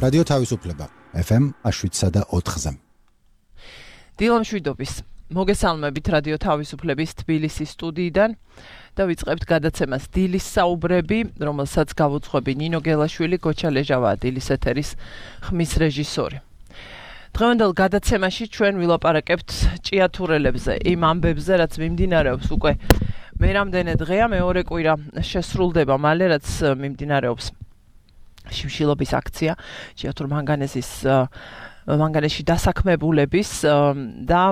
რადიო თავისუფლება FM 7.4-ზე. დილამშვიდობის მოგესალმებით რადიო თავისუფლების თბილისის სტუდიიდან და ვიწყებთ გადაცემას დილის საუბრები, რომელსაც გავუძღვები ნინო გელაშვილი, გოჩა ლეჟავაა დილის ეთერის ხმის რეჟისორი. დღევანდელ გადაცემაში ჩვენ ვილაპარაკებთ ჭიათურელებზე, იმ ამბებზე, რაც მიმდინარეობს უკვე მე რამდენი დღეა, მეორე კვირა შესრულდება მალე, რაც მიმდინარეობს შიმშილობის აქცია ჭიათურ მანგანეში დასაქმებულების და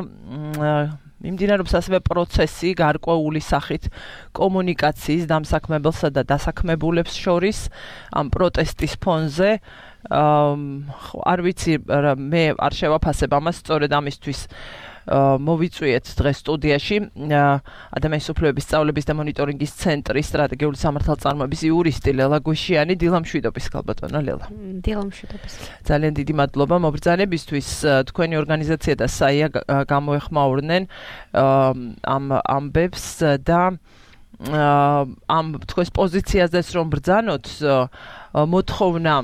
მიმდინარეობს ასევე პროცესი გარკვეული სახით კომუნიკაციის დამსაქმებელსა და დასაქმებულებს შორის ამ პროტესტის ფონზე. არ ვიცი, მე არ შევაფასებ ამას, სწორედ ამისთვის მოვიწვიეთ დღეს სტუდიაში ადამიანის უფლებების სწავლების და მონიტორინგის ცენტრის სტრატეგიული სამართალწარმოების იურისტი ლელა გუშიანი. დილამშვიდობის ქალბატონო ლელა. დილამშვიდობის. ძალიან დიდი მადლობა მობრძანებისთვის. თქვენი ორგანიზაცია და საია გამოეხმაურნენ ამ ამბებს და ამ თქვენს პოზიციაზეც რომ ბრძანოთ, მოთხოვნა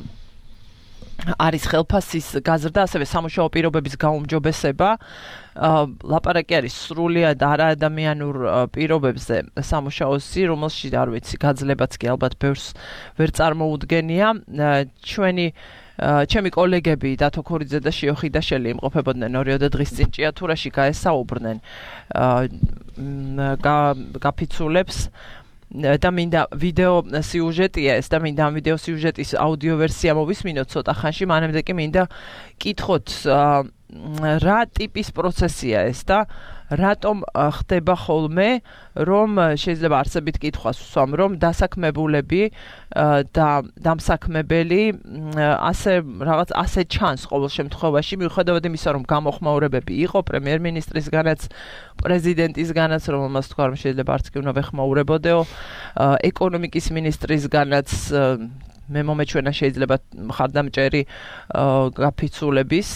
არის ხელფასის გაზრდა, ასევე სამუშაო პირობების გაუმჯობესება. ლაპარაკი არის სრულიად არაადამიანურ პირობებზე სამუშაოსი, რომელშიც არ ვიცი, გაძლებაც კი ალბათ ბევრს ვერ წარმოუდგენია. ჩემი კოლეგები დათო ქორიძე და შიო ხიდაშელი იმყოფებოდნენ 2 დღის წინ ჭიათურაში, გაესაუბრნენ გაფიცულებს და მინდა ვიდეო სიუჟეტია ეს და მინდა ამ ვიდეო სიუჟეტის აუდიო ვერსია მოვისმინოთ ცოტა ხანში, მანამდე კი მინდა კითხოთ რა ტიპის პროცესია ეს და რატომ ხდება ხოლმე, რომ შეიძლება არსებით კითხვას ვსვამ, რომ დასაქმებულები და დამსაქმებელი ასე ჩანს ყოველ შემთხვევაში, მიუხედავად იმისა, რომ გამოხმაურებები იყო პრემიერ-მინისტრისგანაც, პრეზიდენტისგანაც, რომელმაც თქვა, რომ შეიძლება არც კი უნდა ვეხმაურებოდეო, ეკონომიკის მინისტრისგანაც, მე მომეჩვენა შეიძლება მხარდამჭერი გაფიცულების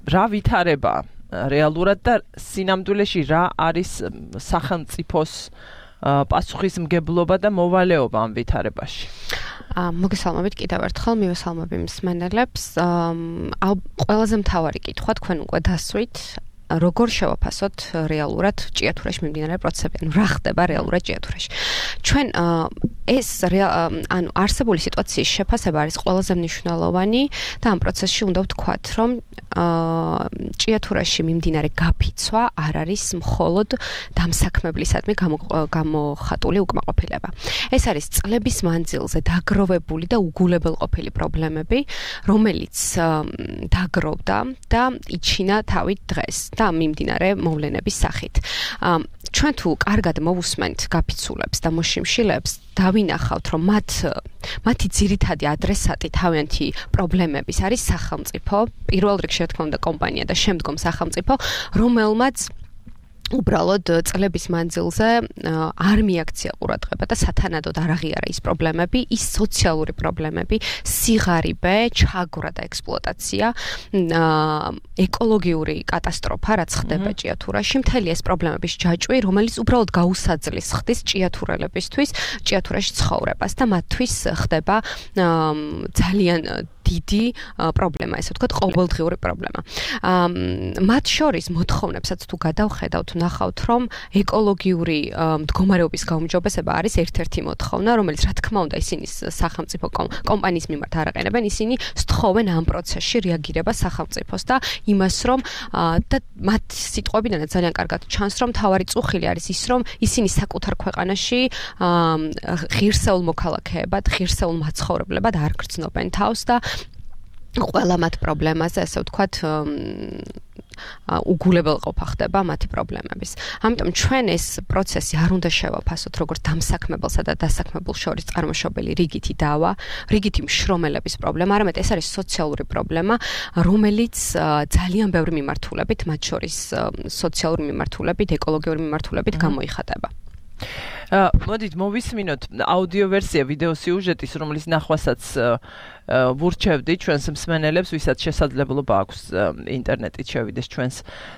რა ვითარება რეალურად და სინამდვილეში რა არის სახელმწიფოს პასუხისმგებლობა და მოვალეობა ამ ვითარებაში. მოგესალმებით კიდევ ერთხელ, მივესალმები მსმენელებს. ყველაზე მთავარი კითხვა თქვენ უკვე დასვით, როგორ შევაფასოთ რეალურად ჭიათურაში მიმდინარე პროცესები, ანუ რა ხდება რეალურად ჭიათურაში. ჩვენ ეს არსებული სიტუაციის შეფასება არის ყველაზე მნიშვნელოვანი და ამ პროცესში უნდა ვთქვათ, რომ ჭიათურაში მიმდინარე გაფიცვა არ არის მხოლოდ დამსაქმებლისადმი გამოხატული უკმაყოფილება. ეს არის წლების მანძილზე დაგროვებული და უგულებელყოფილი პრობლემები, რომელიც დაგროვდა და იჩინა თავით დღეს და მიმდინარე მოვლენების სახით. ჩვენ თუ კარგად მოვუსმენთ გაფიცულებს და მოშიმშილებს, დავინახავთ, რომ მათი ძირითადი ადრესატი თავიანთი პრობლემების არის სახელმწიფო, პირველ რიგში რა თქმა უნდა კომპანია და შემდგომ სახელმწიფო, რომელმაც უბრალოდ წლების მანძილზე არ მიაქცია ყურადღება და სათანადოდ არ აღიარა ის პრობლემები, ის სოციალური პრობლემები, სიღარიბე, ჩაგვრა და ექსპლუატაცია, ეკოლოგიური კატასტროფა, რაც ხდება ჭიათურაში, მთელი ეს პრობლემების ჯაჭვი, რომელიც უბრალოდ გაუსაძლის ხდის ჭიათურელებისთვის, ჭიათურაში ცხოვრებას და მათთვის ხდება ძალიან დიდი პრობლემა, ესე ვთქვათ, ყოველდღიური პრობლემა. მათ შორის მოთხოვნებსაც თუ გადავხედავთ, ნახავთ, რომ ეკოლოგიური მდგომარეობის გაუმჯობესება არის ერთ-ერთი მოთხოვნა, რომელიც რა თქმა უნდა ისინი სახელმწიფო კომპანიის მიმართ არ აყენებენ, ისინი სთხოვენ ამ პროცესში რეაგირება სახელმწიფოს და იმას, რომ და მათ სიტყვებიდანაც ძალიან კარგად ჩანს, რომ თავარი წუხილი არის ის, რომ ისინი საკუთარ ქვეყანაში ღირსეულ მოქალაქეებად, ღირსეულ მაცხოვრებლებად არ გრძნობენ თავს და ყველა მათ პრობლემაზე, ასე ვთქვათ, უგულებელყოფა ხდება მათი პრობლემების. ამიტომ ჩვენ ეს პროცესი არ უნდა შევაფასოთ როგორც დამსაქმებელსა და დასაქმებულ შორის წარმოშობილი რიგითი დავა, რიგითი მშრომელების პრობლემა, არამედ ეს არის სოციალური პრობლემა, რომელიც ძალიან ბევრი მიმართულებით, მათ შორის სოციალური მიმართულებით, ეკოლოგიური მიმართულებით გამოიხატება. მოდით მოვისმინოთ აუდიო ვერსია ვიდეო სიუჟეტის, რომლის ნახვასაც ვურჩევდი ჩვენს მსმენელებს, ვისაც შესაძლებლობა აქვს ინტერნეტით შევიდეს ჩვენს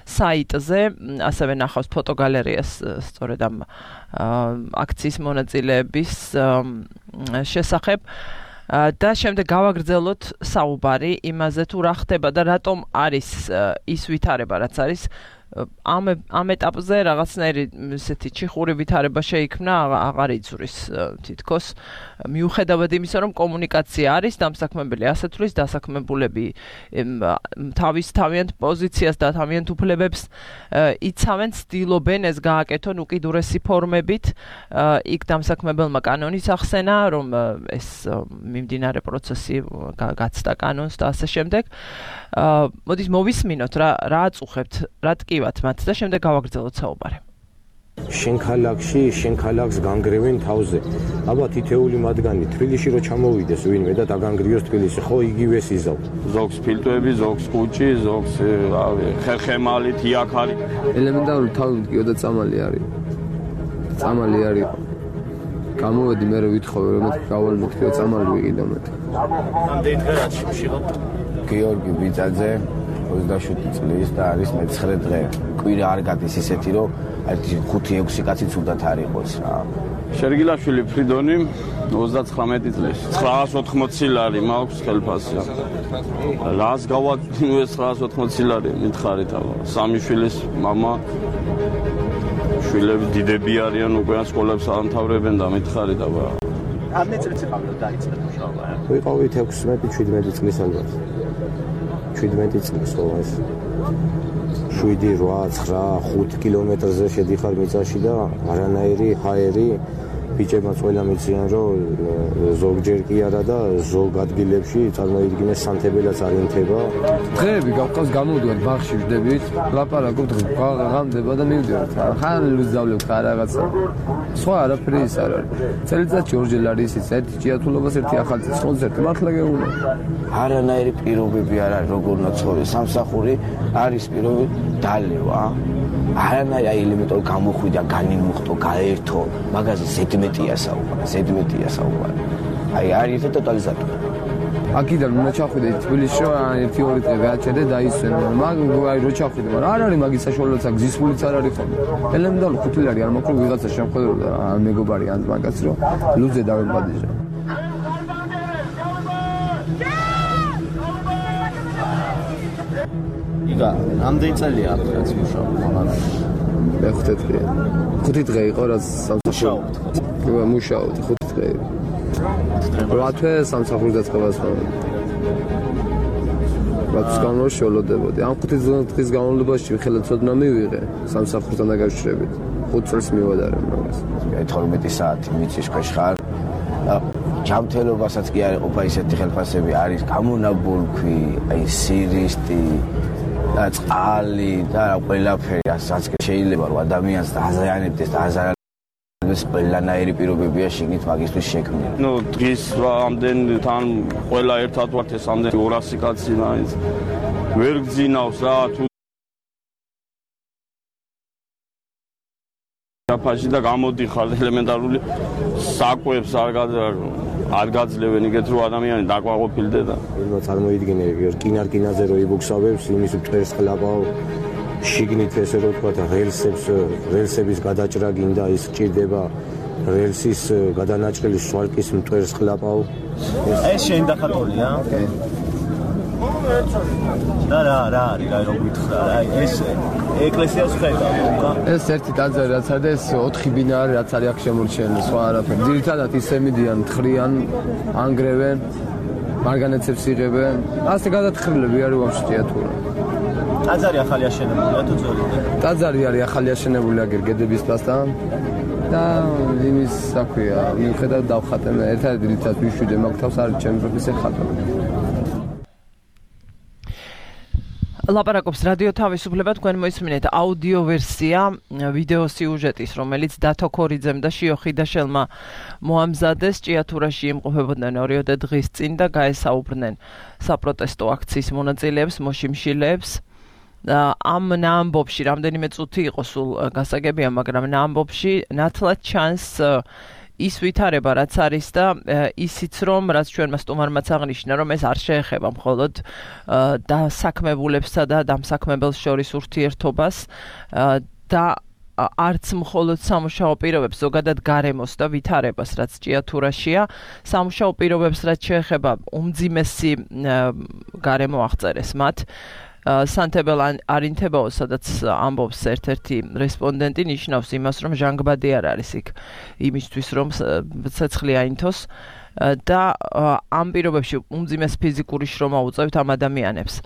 საიტზე, ასევე ნახავს ფოტოგალერეას სწორედ ამ აქციის მონაწილეების შესახებ. და შემდეგ გავაგრძელოთ საუბარი იმაზე თუ რა ხდება და რატომ არის ის ვითარება რაც არის ამ ეტაპზე რაღაცნაირი ესეთი ჩიხური ვითარება შეიქმნა აღარ იწვრის თითქოს მიუხედავად იმისა რომ კომუნიკაცია არის დამსაქმებელი ასე თulis დასაქმებულები თავიანთ პოზიციას და თავიანთ უფლებებს იცავენ ცდილობენ ეს გააკეთონ უკიდურესი ფორმებით იქ დამსაქმებელმა კანონის ახსენა რომ ეს მიმდინარე პროცესი გაცდა კანონს და ასე შემდეგ მოდით მოვისმინოთ რა აწუხებთ რა ტკივათ მათ და შემდეგ გავაგრძელოთ საუბარი შენ ქალაქს განგრევენ თავზე. აბა თითეული მათგანი თბილისში რო ჩამოვიდეს ვინმე და დაგანგრიოს თბილისში, ხო იგივეს იზავ. ზოგს ფილტვები, ზოგს კუჭი, ზოგს ხერხემალი, თიაქარი. ელემენტარული თავი მდგიო და წამალი არის. წამალი არის. გამოვედი მე ვითხოვე რომ გავალ მეთქიო წამალი ვიყიდო მე. ამდენი დღე რაც შევშიღოთ. გიორგი ბიძაძე 27 წლის და არის მე-9 დღე. კვირა არ გადის ისეთი რომ 5-6 კაცი ცუდად არ იყოს რა. შერგილაშვილი ფრიდონი 39 წლის 980 ლარი მაქვს ხელფასი. რას გავაკეთე 980 ლარი მითხარით აბა. სამი შვილის მამა შვილები დიდები არიან უკვე სკოლებს ამთავრებენ და მითხარით აბა. ამდენი წელს იყავდა დაიწყეთ მუშაობა. ვიყავით 16-17 წლის ალბათ. 17 წლის ხო ეს 7, 8, 9, 5 კილომეტრზე შედიხარ მიწაში და არანაირი ჰაერი ბიჭებმა ყველა მიციან რომ ზოგჯერ კი არა და ზოგ ადგილებში წარმოიდგინეს სანთებელაც არ ინთება. დღეები გავყავს გამოვდივარ ბაღში ვждებით, ლაპარაკობთ ღამდება და მივდივართ. ხან ვიზავლებ ხარ რაღაცა. სხვა არაფერი ის არ არის. წელიწადში ორჯერ არის ის ერთი ჭიათულობას ერთი ახალწლის კონცერტი მართლა გეუბნა. არანაირი პირობები არ არის როგორ ნაცხოვრე სამსახური არის პირობები დალევა. არანაირი ელემენტური გამოხვიდა, განიმუხტო, გაერთო, მაგაზე ზედმეტია საუბარი. აი არის ეს ტოტალიზატორი. აქედან უნდა ჩახვიდე თბილისში რომ 1-2 დღე გააჩერდე და ისვენ. მაგ აი რო ჩახვიდე, მაგრამ არ არის მაგის საშუალებაც აქ გზისfulიც არ არის ხოლმე. ელემენტარული 5 ლარი არ მაქვს ვიღაცა შემხედრო და მეგობარი ან მაგაც რომ ლუძე დავემბადიჟა. იგა, ამდენი წელია აქ რაც მუშაობ მაგალითად. მე 5 დღეა. 5 დღე იყო რაც სამსახურში. მუშაობ 5 დღე. 8 თვე სამსახურში დაწყებას ვარ. რაც განმავლობაში ველოდებოდი. ამ 5 დღის განმავლობაში ხელად ცოდნა მივიღე სამსახურთან დაკავშირებით. 5 წელს მივადარე მაგას. 12 საათი მიწის ქვეშ ხარ. ჯანმრთელობასაც კი არ ყოფა ისეთი ხელფასები არის გამონაბოლქვი, აი სირისტი და წყალი და ყველაფერი ასაც შეიძლება რომ ადამიანს დააზიანებდეს და აზარალდეს ყველანაირი პირობებია შეგნით მაგისთვის შექმნილი. ნუ დღის ამდენ თან ყველა ერთად ვართ ეს ამდენ 200 კაცი მაინც ვერ გძინავს რა თუ ფაში და გამოდიხარ ელემენტარული საკვებს არ გაძლევენ იგეთ რომ ადამიანი დაკვაყოფილდე და ვინმე წარმოიდგინე რკინარკინაზე რო იბუქსავებს იმის მტვერს ხლაპავ შიგნით ესე რო თქვა რელსების გადაჭრა გინდა ის ჭირდება რელსის გადანაჭრელი სვარკის მტვერს ხლაპავ ეს შენ დახატულია და რა არის რა გითხრა აი ეს ეკლესიას ხედავ უკან ეს ერთი ტაძარი რაც არის და ეს 4 ბინა არის რაც არის აქ შემორჩენილი სხვა არაფერი ძირითადად ისე მიდიან თხრიან ანგრევენ მარგანეცებს იღებენ ასე გადათხრილები არის ვამშტია თუ რა ტაძარი ახალი აშენებულია თუ ძველი ტაძარი არის ახალი აშენებული აგერ გედების პასთან და იმის საქვია მიუხედავად დავხატენ ერთად დილითაც ვიშვიდე მაგ თავს არის ჩემი პროფესია ხატვა ლაპარაკობს რადიო თავისუფლება თქვენ მოისმინეთ აუდიო ვერსია ვიდეო სიუჟეტის რომელიც დათო ქორიძემ და შიო ხიდაშელმა მოამზადეს ჭიათურაში იმყოფებოდნენ 2 დღის წინ და გაესაუბრნენ საპროტესტო აქციის მონაწილეებს მოშიმშილეებს ამ ნამბობში რამდენიმე წუთი იყო სულ გასაგებია მაგრამ ნამბობში ნათლად ჩანს ის ვითარება რაც არის და ისიც რომ რაც ჩვენმა სტუმარმაც აღნიშნა რომ ეს არ შეეხება მხოლოდ დასაქმებულებსა და დამსაქმებელს შორის ურთიერთობას და არც მხოლოდ სამუშაო პირობებს, ზოგადად გარემოს და ვითარებას, რაც ჭიათურაშია, სამუშაო პირობებს, რაც შეეხება უმძიმესი გარემო აღწერეს მათ. სანთებელ არინთებაო, სადაც ამბობს ერთ-ერთი რესპონდენტი, ნიშნავს იმას, რომ ჟანგბადი არ არის იქ იმისთვის, რომ ცეცხლი აინთოს და ამ პირობებში უმძიმეს ფიზიკური შრომა უწევთ ამ ადამიანებს.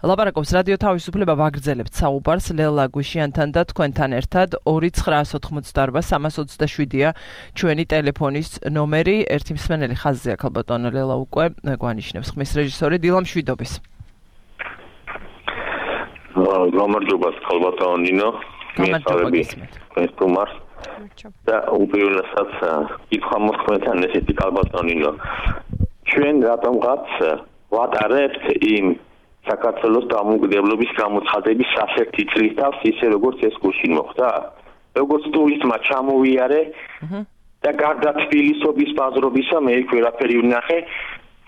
ლაპარაკობს რადიო თავისუფლება ვაგრძელებთ საუბარს ლელა გვიშიანთან და თქვენთან ერთად 2988327-ია ჩვენი ტელეფონის ნომერი. ერთი მსმენელი ხაზზე აქ ალბათ ლელა უკვე გვანიშნებს. ხმის რეჟისორი დილა მშვიდობის. გამარჯობა ხალბატონო ნინო. მე თუმარ და უპირველესად კითხვა მოხმეთან ესეთი ხალბატონო ნინო. ჩვენ რატომღაც ვატარებთ იმ საქართველოს დამოუკიდებლობის გამოცხადების სასერტი წრის თავს ისე როგორც ეს გუშინ მოხდა. როგორც ტურისტმა ჩამოვიარე და გარდა თბილისობის ბაზრობისა მე იქ ვერაფერი ვნახე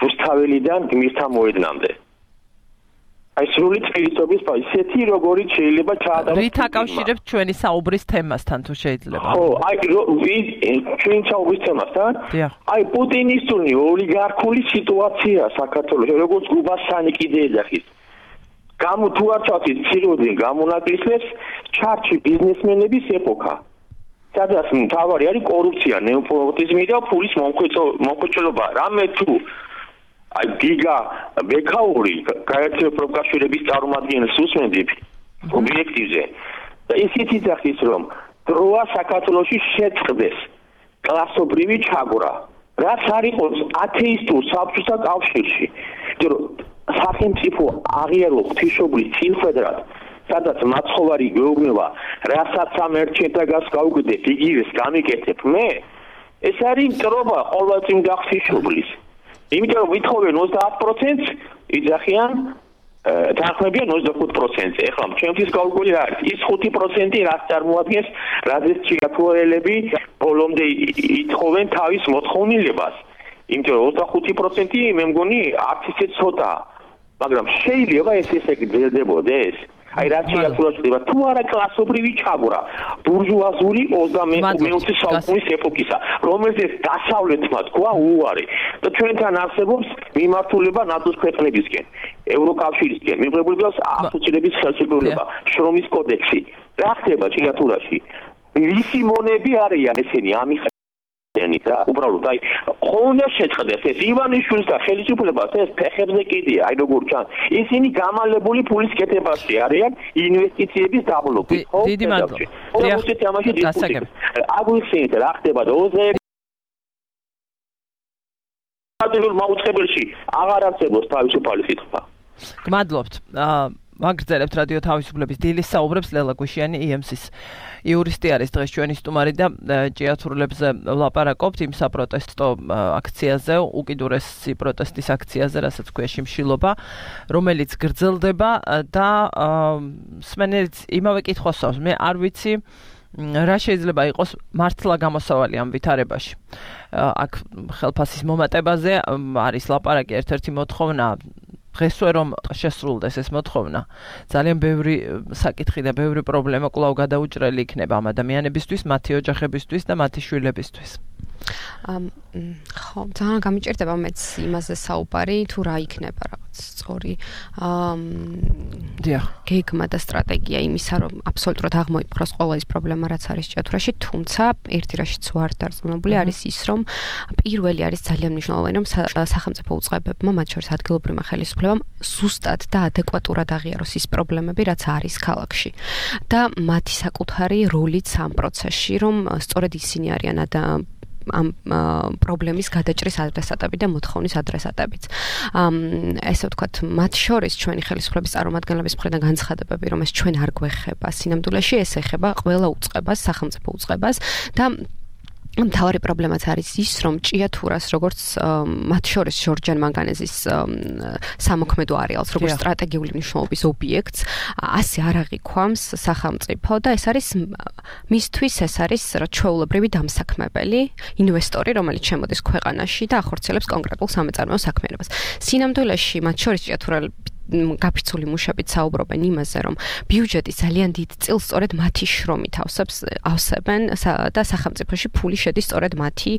რუსთაველიდან გმირთა მოედნამდე. აი სრული თბილისობის ისეთი როგორიც შეიძლება ჩაატაროს. რით აკავშირებთ ჩვენი საუბრის თემასთან თუ შეიძლება? ხო, აი ჩვენი საუბრის თემასთან? აი პუტინისტური ოლიგარქული სიტუაცია საქართველოს, როგორც გუბასანი კიდე ეძახის. თუ არ ჩავთით ციროდნენ გამონაკლისებს ჩარჩი ბიზნესმენების ეპოქა. სადაც მთავარი არის კორუფცია, ნეოპოტიზმი და ფულის მომხოჭრობა. რამე თუ აი გიგა ბექაური გაერთიანებული პროფკავშირების წარმომადგენელს უსმენდით ობიექტივზე და ისიც იძახის რომ დროა საქართველოში შეწყდეს კლასობრივი ჩაგვრა რაც არ იყოს ათეისტურ საბჭოთა კავშირში სახელმწიფო აღიარო ღვთისმშობლის წინფედრად სადაც მაცხოვარი გეუბნება რასაც ამ ერთჩეთაგას გავუკეთებ იგივეს გამიკეთებ მე ეს არის მტრობა ყოველწინ გახსისშობლის იმიტომ რომ ვითხოვენ 30%-ს იძახიან თანხმებიან 25%-ზე. ეხლა ჩემთვის კალკული რა არის? ის 5% რაც წარმოადგენს, რადგან ჭიათურელები ბოლომდე ითხოვენ თავის მოთხოვნილებას. იმიტომ რომ 25% მე მგონი არც ისე ცოტაა. მაგრამ შეიძლება ესე გრძელდებოდეს. აი რა ჭიათურაშია თუ არა კლასობრივი ჩაგვრა, ბურჟუაზული 20-მე საუკუნის ეპოქისა, რომელზეც დასავლეთმა თქვა უარი და ჩვენთან არსებობს მიმართულება ნატოს ქვეყნებისკენ, ევროკავშირისკენ, მიღებულებას ასოცირების ხელშეკრულება, შრომის კოდექსი. რა ხდება ჭიათურაში? ვისი მონები არიან ესენი ამის და უბრალოდ აი ხონა შეწყდეს ეს ივანიშვილის და ხელისუფლებას ეს ფეხებზე კიდია აი როგორ ჩანს ისინი გამალებული ფულის კეთებაში არიან ინვესტიციების დაბლოკი ხო დიდი მადლობა აგვიხსენეთ რა ხდება დოზე მაუწყებელში აღარ არსებობს თავისუფალი სიტყვა გმადლობთ ვაგრძელებთ რადიო თავისუფლების დილის საუბრებს ლელა გვიშიანი EMC-ის იურისტი არის დღეს ჩვენი სტუმარი და ჭიათურლებზე ვლაპარაკობთ იმ საპროტესტო აქციაზე, უკიდურესი პროტესტის აქციაზე, რასაც ქვია შიმშილობა, რომელიც გრძელდება და მსმენელიც იმავე კითხვას სვავს. მე არ ვიცი რა შეიძლება იყოს მართლა გამოსავალი ამ ვითარებაში. აქ ხელფასის მომატებაზე არის ლაპარაკი ერთ-ერთი მოთხოვნა დღესვე რომ შესრულდეს ეს მოთხოვნა ძალიან ბევრი საკითხი და ბევრი პრობლემა კვლავ გადაუჭრელი იქნება ამ ადამიანებისთვის, მათი ოჯახებისთვის და მათი შვილებისთვის. ხო, ძალიან გამიჭირდება მეც იმაზე საუბარი, თუ რა იქნება რაღაც სწორი გეგმა და სტრატეგია იმისა, რომ აბსოლუტურად აღმოიფხვრას ყველა ის პრობლემა, რაც არის ჭიათურაში, თუმცა ერთი რაშიც ვარ დარწმუნებული არის ის, რომ პირველი არის ძალიან მნიშვნელოვანი, რომ სახელმწიფო უწყებებმა, მათ შორის ადგილობრივმა ხელისუფლებამ, ზუსტად და ადეკვატურად აღიაროს ის პრობლემები, რაც არის ქალაქში. და მათი საკუთარი როლიც ამ პროცესში, რომ სწორედ ისინი არიან ამ პრობლემის გადაჭრის ადრესატები და მოთხოვნის ადრესატებიც. ესე ვთქვათ, მათ შორის ჩვენი ხელისუფლების წარმომადგენლების მხრიდან განცხადებები, რომ ეს ჩვენ არ გვეხება სინამდვილეში, ეს ეხება ყველა უწყებას, სახელმწიფო უწყებას და მთავარი პრობლემაც არის ის, რომ ჭიათურას, როგორც მათ შორის ჟორჯან მანგანეზის სამოქმედო არეალს, როგორც სტრატეგიული მნიშვნელობის ობიექტს, ასე არ აღიქვამს სახელმწიფო და ეს არის მისთვის ეს არის ჩვეულებრივი დამსაქმებელი ინვესტორი, რომელიც შემოდის ქვეყანაში და ახორციელებს კონკრეტულ სამეწარმეო საქმიანობას. სინამდვილეში მათ შორის ჭიათურელები გაფიცული მუშებით საუბრობენ იმაზე, რომ ბიუჯეტი ძალიან დიდ წილს სწორედ მათი შრომით ავსებენ და სახელმწიფოში ფული შედის სწორედ მათი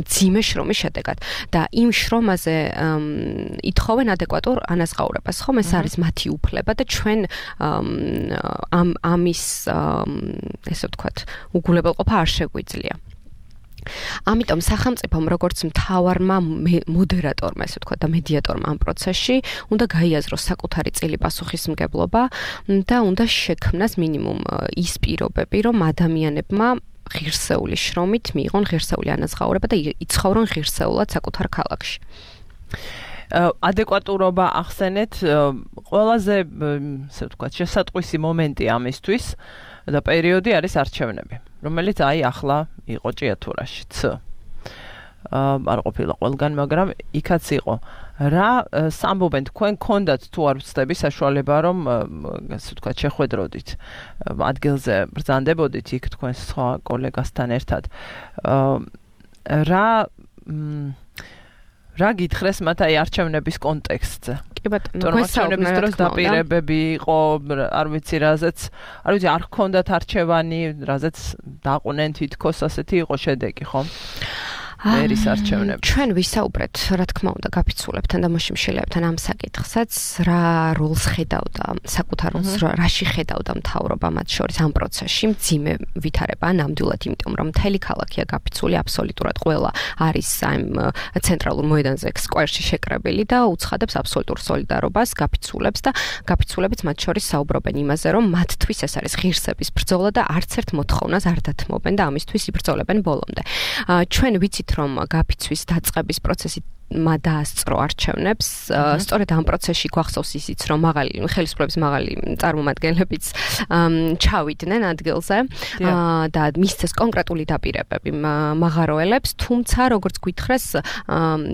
მძიმე შრომის შედეგად. და იმ შრომაზე ითხოვენ ადეკვატურ ანაზღაურებას, ხომ? ეს არის მათი უფლება და ჩვენ ამის ესე ვთქვათ, უგულებელყოფა არ შეგვიძლია. ამიტომ სახელმწიფომ როგორც მთავარმა მოდერატორმა, ესე ვთქვათ, და მედიატორმა ამ პროცესში უნდა გაიაზროს საკუთარი წილი პასუხისმგებლობა და უნდა შექმნას მინიმუმ ის პირობები, რომ ადამიანებმა ღირსეული შრომით მიიღონ ღირსეული ანაზღაურება და იცხოვრონ ღირსეულად საკუთარ ქალაქში. ადეკვატურობა ახსენეთ, ყველაზე, ესე ვთქვათ, შესატყვისი მომენტი ამისთვის და პერიოდი არის არჩევნები, რომელიც ახლა იყო ჭიათურაშიც. არ ყოფილა ყველგან, მაგრამ იქაც იყო. რა სამბობენ თქვენ გქონდათ თუ არ ვცდები საშუალება, რომ ასე ვთქვათ, შეხვედროდით ადგილზე ბრძანდებოდით იქ თქვენ სხვა კოლეგასთან ერთად. რა გითხრეს მათ არჩევნების კონტექსტზე? კი ბატონო, არჩევნების დროს დაპირებები იყო, არ ვიცი, არ გქონდათ არჩევანი, რაზეც დაყვნენ თითქოს ასეთი იყო შედეგი, ხო? მერის არჩევნები. ჩვენ ვისაუბრეთ, რა თქმა უნდა, გაფიცულებთან და მოშიმშელებთან ამ საკითხსაც, რა როლს ხედავდა, საკუთარ როლს რაში ხედავდა მთავრობა მათ შორის ამ პროცესში, მძიმე ვითარება, ნამდვილად, იმიტომ რომ მთელი ქალაქია გაფიცული, აბსოლუტურად ყველა არის ამ ცენტრალურ მოედანზე, სკვერში შეკრებილი და უცხადებს აბსოლუტურ სოლიდარობას გაფიცულებს და გაფიცულებიც მათ შორის საუბრობენ იმაზე, რომ მათთვის ეს არის ღირსების ბრძოლა და არც ერთ მოთხოვნას არ დათმობენ და ამისთვის იბრძოლებენ ბოლომდე. ჩვენ ვიცით, რომ გაფიცვის დაწყების პროცესი დაასწრო არჩევნებს. სწორედ ამ პროცესში გვახსოვს ისიც, რომ ხელისუფლების მაღალი წარმომადგენლებიც ჩავიდნენ ადგილზე და მისცეს კონკრეტული დაპირებები მაღაროელებს, თუმცა როგორც გითხრეს,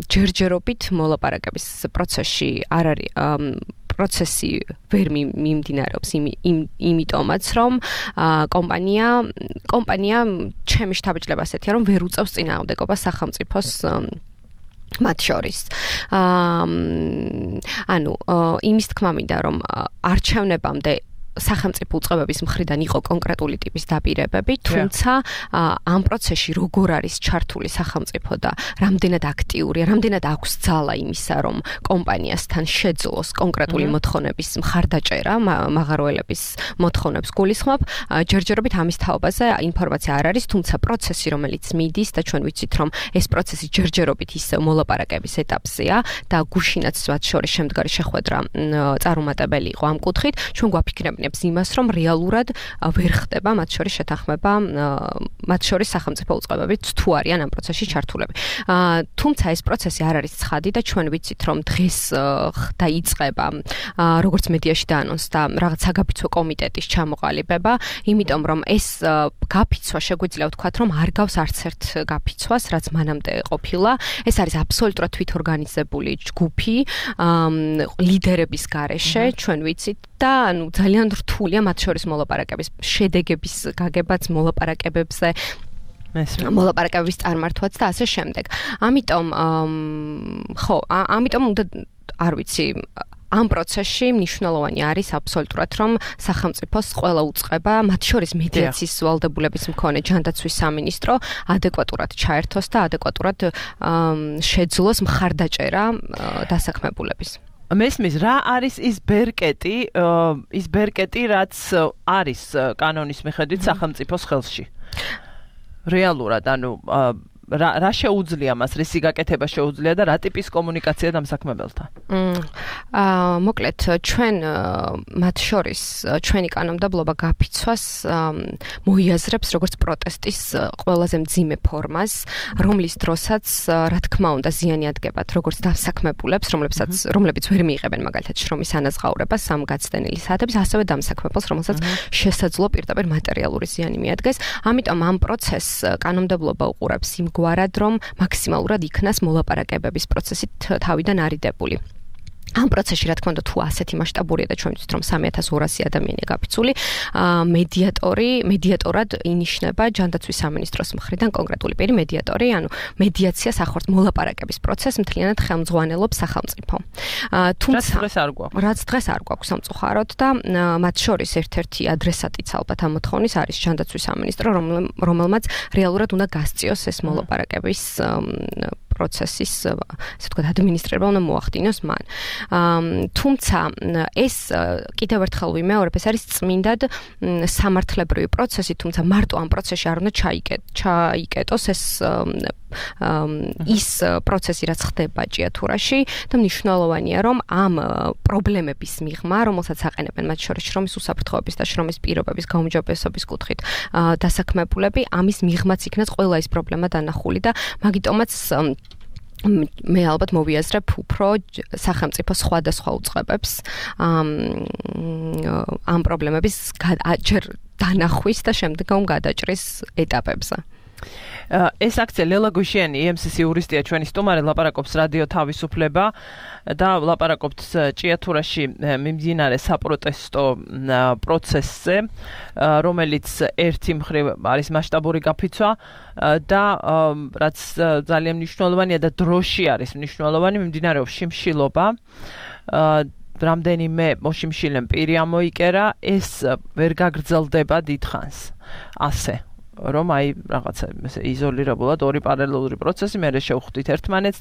ჯერჯერობით მოლაპარაკების პროცესში არ არის პროცესი ვერ მიმდინარეობს იმიტომაც, რომ კომპანია ჩემი შთაბეჭდილება ასეთია, რომ ვერ უწევს წინააღმდეგობას სახელმწიფოს მათ შორის. იმის თქმა მინდა, რომ არჩევნებამდე სახელმწიფო უწყებების მხრიდან იყო კონკრეტული ტიპის დაპირებები, თუმცა ამ პროცესში როგორ არის ჩართული სახელმწიფო და რამდენად აქტიურია, რამდენად აქვს ძალა იმისა, რომ კომპანიასთან შეძლოს კონკრეტული მოთხოვნების მხარდაჭერა, მაღაროელების მოთხოვნებს გულისხმობ, ჯერჯერობით ამის თაობაზე ინფორმაცია არ არის, თუმცა პროცესი, რომელიც მიდის და ჩვენ ვიცით, რომ ეს პროცესი ჯერჯერობით ისევ მოლაპარაკების ეტაპზეა და გუშინაც მათ შორის შემდგარი შეხვედრა წარუმატებელი იყო ამ კუთხით, ჩვენ გვაფიქრებთ იმას, რომ რეალურად ვერ ხდება მათ შორის შეთანხმება, მათ შორის სახელმწიფო უწყებებით თუ არიან ამ პროცესში ჩართულები. თუმცა ეს პროცესი არ არის ცხადი და ჩვენ ვიცით, რომ დღეს დაიწყება, როგორც მედიაში დაანონსდა, რაღაც საგაფიცვო კომიტეტის ჩამოყალიბება, იმიტომ რომ ეს გაფიცვა შეგვიძლია ვთქვათ, რომ არ გავს არც ერთ გაფიცვას, რაც მანამდე ყოფილა. ეს არის აბსოლუტურად თვითორგანიზებული ჯგუფი, ლიდერების გარეშე, ჩვენ ვიცით და ძალიან რთულია მათ შორის მოლაპარაკების შედეგების გაგებაც მოლაპარაკებებზე მოლაპარაკებების წარმართვაც და ასე შემდეგ. ამიტომ უნდა არ ვიცი ამ პროცესში მნიშვნელოვანი არის აბსოლუტურად, რომ სახელმწიფოს ყველა უწყება, მათ შორის მედიაციის ვალდებულების მქონე ჯანდაცვის სამინისტრო ადეკვატურად ჩაერთოს და ადეკვატურად შეძლოს მხარდაჭერა დასაქმებულების. მესმის, რა არის ის ბერკეტი, რაც არის კანონის მიხედვით სახელმწიფოს ხელში? რეალურად, რა შეუძლია მას, რისი გაკეთება შეუძლია და რა ტიპის კომუნიკაცია დამსაქმებელთან? მოკლედ, ჩვენ მათ შორის ჩვენი კანონმდებლობა გაფიცვას მოიაზრებს როგორც პროტესტის ყველაზე მძიმე ფორმას, რომლის დროსაც, რა თქმა უნდა, ზიანი ადგებათ როგორც დამსაქმებულებს, რომლებიც ვერ მიიღებენ მაგალითად შრომის ანაზღაურებას ამ გაცდენილი საათების, ასევე დამსაქმებელს, რომელსაც შესაძლო პირდაპირ მატერიალური ზიანი მიადგეს. ამიტომ ამ პროცესს კანონმდებლობა უყურებს იმგვარად, რომ მაქსიმალურად იქნას მოლაპარაკებების პროცესით თავიდან არიდებული. ამ პროცესში რა თქმა უნდა თუ ასეთი მასშტაბურია და ჩვენ ვიცით რომ 3200 ადამიანია გაფიცული მედიატორად ინიშნება ჯანდაცვის სამინისტროს მხრიდან კონკრეტული პირი მედიატორი ანუ მედიაციას ახორციელებს მოლაპარაკების პროცესს მთლიანად ხელმძღვანელობს სახელმწიფო თუმცა რაც დღეს არ გვაქვს სამწუხაროდ და მათ შორის ერთ-ერთი ადრესატიც ალბათ ამ მოთხოვნის არის ჯანდაცვის სამინისტრო რომელმაც რეალურად უნდა გასწიოს ეს მოლაპარაკების პროცესის ასე ვთქვათ ადმინისტრირება უნდა მოახდინოს მან. თუმცა ეს კიდევ ერთხელ ვიმეორებ, ეს არის წმინდად სამართლებრივი პროცესი, თუმცა მარტო ამ პროცესში არ უნდა ჩაიკეტოს ის პროცესი რაც ხდება ჭიათურაში და მნიშვნელოვანია რომ ამ პრობლემების მიღმა, რომელსაც აყენებენ მათ შორის შრომის უსაფრთხოების და შრომის პირობების გაუმჯობესების კუთხით დასაქმებულები, ამის მიღმაც იქნას ყველა ეს პრობლემა დანახული და მაგიტომაც მე ალბათ მოვიაზრებ უფრო სახელმწიფო სხვადასხვა უწყებებს ამ პრობლემების ჯერ დანახვის და შემდგომ გადაჭრის ეტაპებზე. ეს აქცია ლელა გუშიანი EMCC იურისტია ჩვენი სტუმარი ლაპარაკობს რადიო თავისუფლება და ლაპარაკობთ ჭიათურაში მიმდინარე საპროტესტო პროცესზე რომელიც ერთი მხრივ არის მასშტაბური გაფიცვა და რაც ძალიან მნიშვნელოვანია და დროში არის მნიშვნელოვანი მიმდინარეობს შიმშილობა რამდენიმე მოშიმშილემ პირი ამოიკერა ეს ვერ გაგრძელდება დიდხანს ასე რომ აი რაღაცა იზოლირებულად ორი პარალელური პროცესი მე შევხვდით ერთმანეთს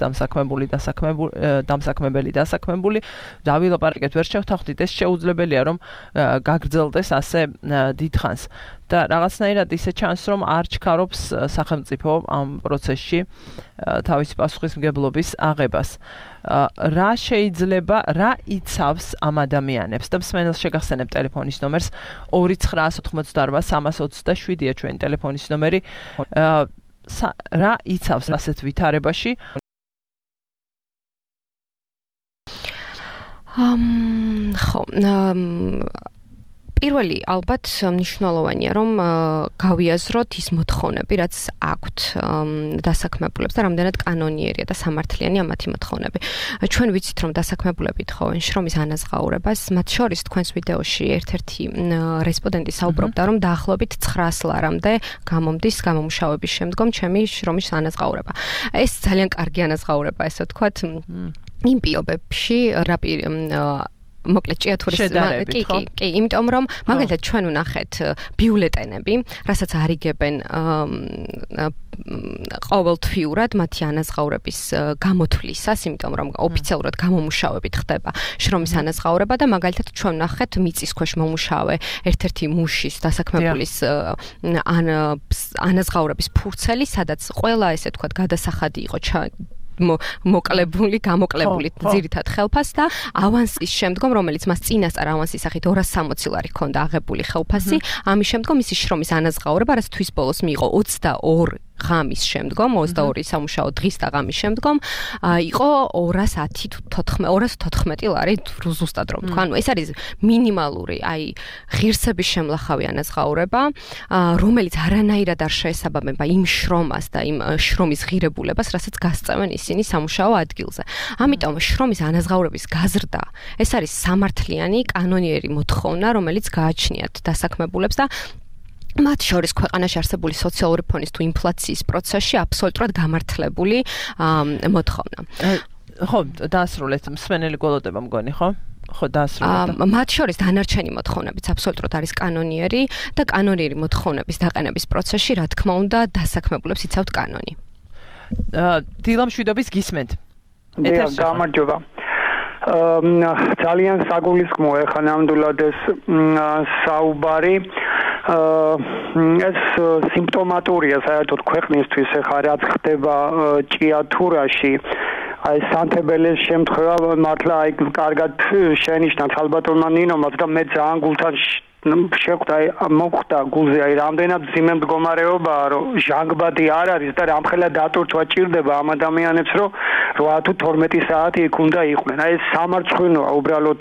დამსაქმებელი დავილაპარაკეთ ვერ შევთანხმდით ეს შეუძლებელია რომ გაგრძელდეს ასე დიდხანს და რაღაცნაირად ისე ჩანს რომ არ ჩქარობს სახელმწიფო ამ პროცესში თავისი პასუხისმგებლობის აღებას რა შეიძლება რა იცავს ამ ადამიანებს და მსმენელს შეგახსენებ ტელეფონის ნომერს 2988-327-ია ჩვენი ტელეფონის ნომერი რა იცავს ასეთ ვითარებაში ხო პირველი ალბათ მნიშვნელოვანია რომ გავიაზროთ ის მოთხოვნები რაც აქვთ დასაქმებულებს და რამდენად კანონიერია და სამართლიანი ამათი მოთხოვნები. ჩვენ ვიცით რომ დასაქმებულები თხოვენ შრომის ანაზღაურებას, მათ შორის თქვენს ვიდეოში ერთ-ერთი რესპონდენტი საუბრობდა რომ დაახლოებით 900 ლარამდე გამომდის გამომუშავების შემდგომ ჩემი შრომის ანაზღაურება. ეს ძალიან კარგი ანაზღაურება ესე ვთქვათ იმ პირობებში მოკლედ ჭიათურის კი, იმიტომ რომ მაგალითად ჩვენ ვნახეთ ბიულეტენები, რასაც არიგებენ ყოველთვიურად მათი ანაზღაურების გამოთვლისას, იმიტომ რომ ოფიციალურად გამომუშავებით ხდება შრომის ანაზღაურება და მაგალითად ჩვენ ვნახეთ მიწის ქვეშ მომუშავე ერთ-ერთი მუშის დასაქმებულის ანაზღაურების ფურცელი, სადაც ყველა ესე ვთქვათ გადასახადი იყო გამოკლებული ძირითად ხელფას და ავანსის შემდგომ რომელიც მას წინასწარ ავანსის სახით 260 ლარი ჰქონდა აღებული ხელფასი ამის შემდგომ მისი შრომის ანაზღაურება რაც თვის ბოლოს მიიღო 22 ღამის შემდგომ 22 სამუშაო დღის და ღამის შემდგომ იყო 214 ლარი ზუსტად რომ თქვა ანუ ეს არის მინიმალური აი ღირსების შემლახავი ანაზღაურება რომელიც არანაირად არ შეესაბამება იმ შრომას და იმ შრომის ღირებულებას რასაც გასწევენ ისინი სამუშაო ადგილზე ამიტომ შრომის ანაზღაურების გაზრდა ეს არის სამართლიანი კანონიერი მოთხოვნა რომელიც გააჩნიათ დასაქმებულებს და მათ შორის ქვეყანაში არსებული სოციალური ფონის თუ ინფლაციის პროცესში აბსოლუტურად გამართლებული მოთხოვნა. ხო, დაასრულეთ მსმენელი გველოდება მგონი, ხო? ხო, დაასრულეთ. მათ შორის დანარჩენი მოთხოვნებიც აბსოლუტურად არის კანონიერი და კანონიერი მოთხოვნების დაყენების პროცესში, რა თქმა უნდა, დასაქმებულებს იცავთ კანონი. დილა მშვიდობის გისმენთ. გამარჯობა. ძალიან საგულისხმოა ახლა ნამდვილად ეს საუბარი ეს სიმპტომატურია საერთოდ ქვეყნისთვის ახლა რაც ხდება ჭიათურაში აი სანთებელის შემთხვევა მართლა აი კარგად შენიშნათ ალბათურმა ნინომაც და მე ძალიან გულთან შეხვდა მოხვდა გულზე აი რამდენად ძიმე მდგომარეობაა რომ ჟანგბადი არ არის და რამხელა დატვირთვა ჭირდება ამ ადამიანებს რომ 8 თუ 12 საათი იქ უნდა იყვნენ აი ეს სამარცხვინოა უბრალოდ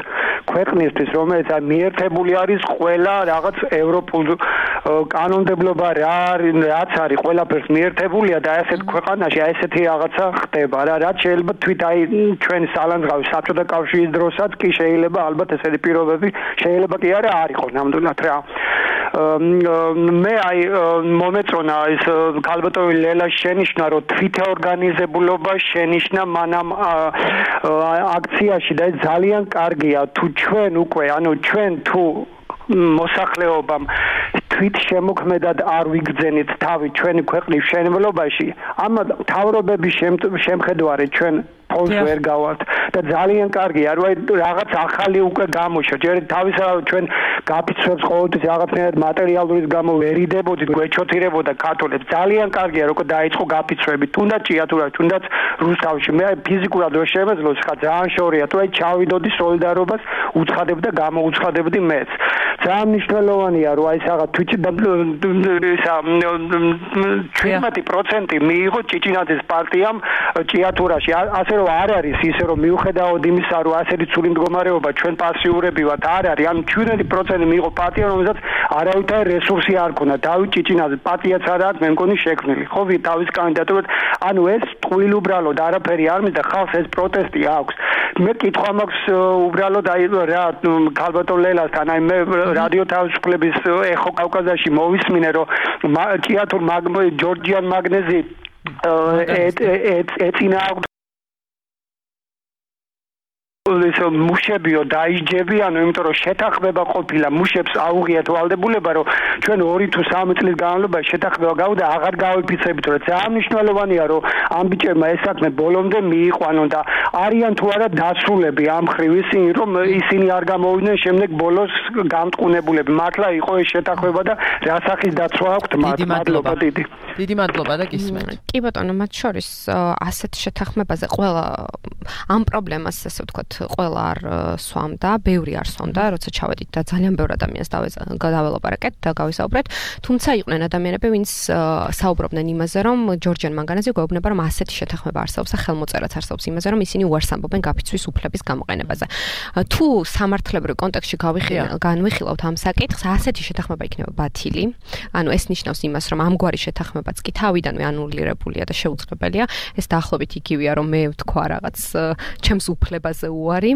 ქვეყნისთვის, რომელიც მიერთებული არის ყველა რაღაც ევროპულ კანონმდებლობა რაც არის ყველაფერს მიერთებულია და ასეთ ქვეყანაში ესეთი რაღაცა ხდება რა რაც შეიძლება თვით ჩვენ სალანძღავი საბჭოთა კავშირის დროსაც კი შეიძლება ალბათ ესეთი პირობები შეიძლება კი არა არ იყოს ნამდვილად რა მე მომეწონა ის ქალბატონი ლელა შენიშნა რომ თვითეორგანიზებულობა შენიშნა მანამ აქციაში და ეს ძალიან კარგია თუ ჩვენ უკვე ჩვენ თუ მოსახლეობამ თვით შემოქმედად არ ვიგრძენით თავი ჩვენი ქვეყნის მშენებლობაში ამ თავრობების შემხედვარი ჩვენ ფონს ვერ გავართ და ძალიან კარგია რომ რაღაც ახალი უკვე გამოშვა ჯერ თავისთავად ჩვენ გაფიცვებს ყოველთვის რაღაცნაირად მატერიალურის გამო ვერიდებოდით გვეჩოთირებოდა ქართველებს ძალიან კარგია რომ დაიწყო გაფიცვები თუნდაც ჭიათურაში თუნდაც რუსთავში მე ფიზიკურად ვერ შემეძლო ხა ძალიან შორია თუ ჩავიდოდი სოლიდარობას უცხადებდა გამოუცხადებდი მეც ძალიან მნიშვნელოვანია რომ ეს რაღაც თვით 17% მიიღო ჭიჭინაძის პარტიამ ჭიათურაში ასე რომ არ არის ისე რომ მიუხედავად იმისა რომ ასეთი ცული მდგომარეობა ჩვენ პასიურები ვართ არ არის ან 17% მიიღო პარტია რომელსაც არავითარი რესურსი არ ქონდა დავით ჭიჭინაძე პარტიაც არ არის მე მგონი შექმნილი ხო თავის კანდიდატურად ანუ ეს ტყუილ უბრალოდ არაფერი არ მინდა ხალხს ეს პროტესტი აქვს მე კითხვა მაქვს უბრალოდ აი რა ქალბატონ ლელასთან აი მე რადიო თავისუფლების ეხო კავკაზიაში მოვისმინე რომ ჭიათურ ჯორჯიან მაგნეზი ეწინა ეს მუშებიო დაიჯებიანო იმიტომ რომ შეთანხმება ყოფილა მუშებს აუღიათ ვალდებულება რომ ჩვენ 2 თუ 3 წლის განმავლობაში შეთანხმება გავდა აღარ გავიფიცებით რომ ძალიან მნიშვნელოვანია რომ ამ ბიჭებმა ეს საქმე ბოლომდე მიიყვანონ და არიან თუ არა დასრულები ამ ხრივ ისინი რომ ისინი არ გამოვიდნენ შემდეგ ბოლოს გამტყუნებულები მართლა იყო ეს შეთანხმება და რა სახის დაცვა აქვთ მადლობა დიდი მადლობა და გისმენთ კი ბატონო მათ შორის ასეთ შეთანხმებაზე ყველა ამ პრობლემას ასე ვთქვათ ყველა არ სვამდა, ბევრი არ სვამდა, როცა ჩავედით და ძალიან ბევრ ადამიანს დაველაპარაკეთ და გავისაუბრეთ. თუმცა იყვნენ ადამიანები, ვინც საუბრობდნენ იმაზე, რომ ჯორჯიან მანგანეზე გვეუბნება, რომ ასეთი შეთანხმება არსებობს და ხელმოწერაც არსებობს იმაზე, რომ ისინი უარს ამბობენ გაფიცვის უფლების გამოყენებაზე. თუ სამართლებრივ კონტექსტში განვიხილავთ ამ საკითხს, ასეთი შეთანხმება იქნება ბათილი. ანუ ეს ნიშნავს იმას, რომ ამგვარი შეთანხმებაც კი თავიდანვე ანულირებულია და შეუძლებელია. ეს დაახლოებით იგივეა, რომ მე ვთქვა რაღაც ჩემს უფლებაზე უარი.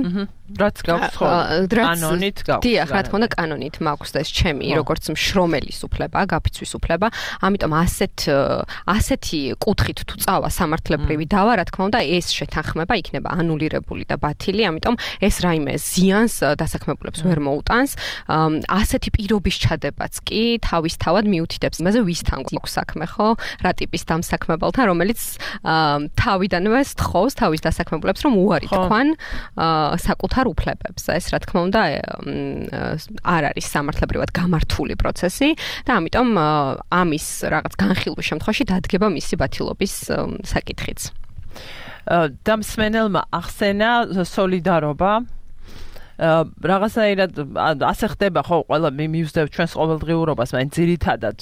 რაც გაქვს ხო? კანონით გაქვს. დიახ, რა თქმა უნდა, კანონით მაქვს და ეს ჩემი როგორც მშრომელის უფლება, გაფიცვის უფლება. ამიტომ ასეთი კუთხით თუ წავა სამართლებრივი დავა, რა თქმა უნდა, ეს შეთანხმება იქნება ანულირებული და ბათილი, ამიტომ ეს რაიმე ზიანს დასაქმებულებს ვერ მოუტანს. ასეთი პირობის ჩადებაც კი თავისთავად მიუთითებს იმაზე, ვისთან გვაქვს საქმე, ხო? რა ტიპის დამსაქმებელთან, რომელიც თავიდანვე სთხოვს თავის დასაქმებულებს, რომ უარი თქვან საკუთარ უფლებებს. ეს რა თქმა უნდა არ არის სამართლებრივად გამართული პროცესი და ამიტომ ამის რაღაც განხილვის შემთხვევაში დადგება მისი ბათილობის საკითხიც. დამსმენელმა ახსენა სოლიდარობა რაღაცნაირად ასე ხდება ხო ყველა მივსდევ ჩვენს ყოველდღიურობას, მაგრამ ძირითადად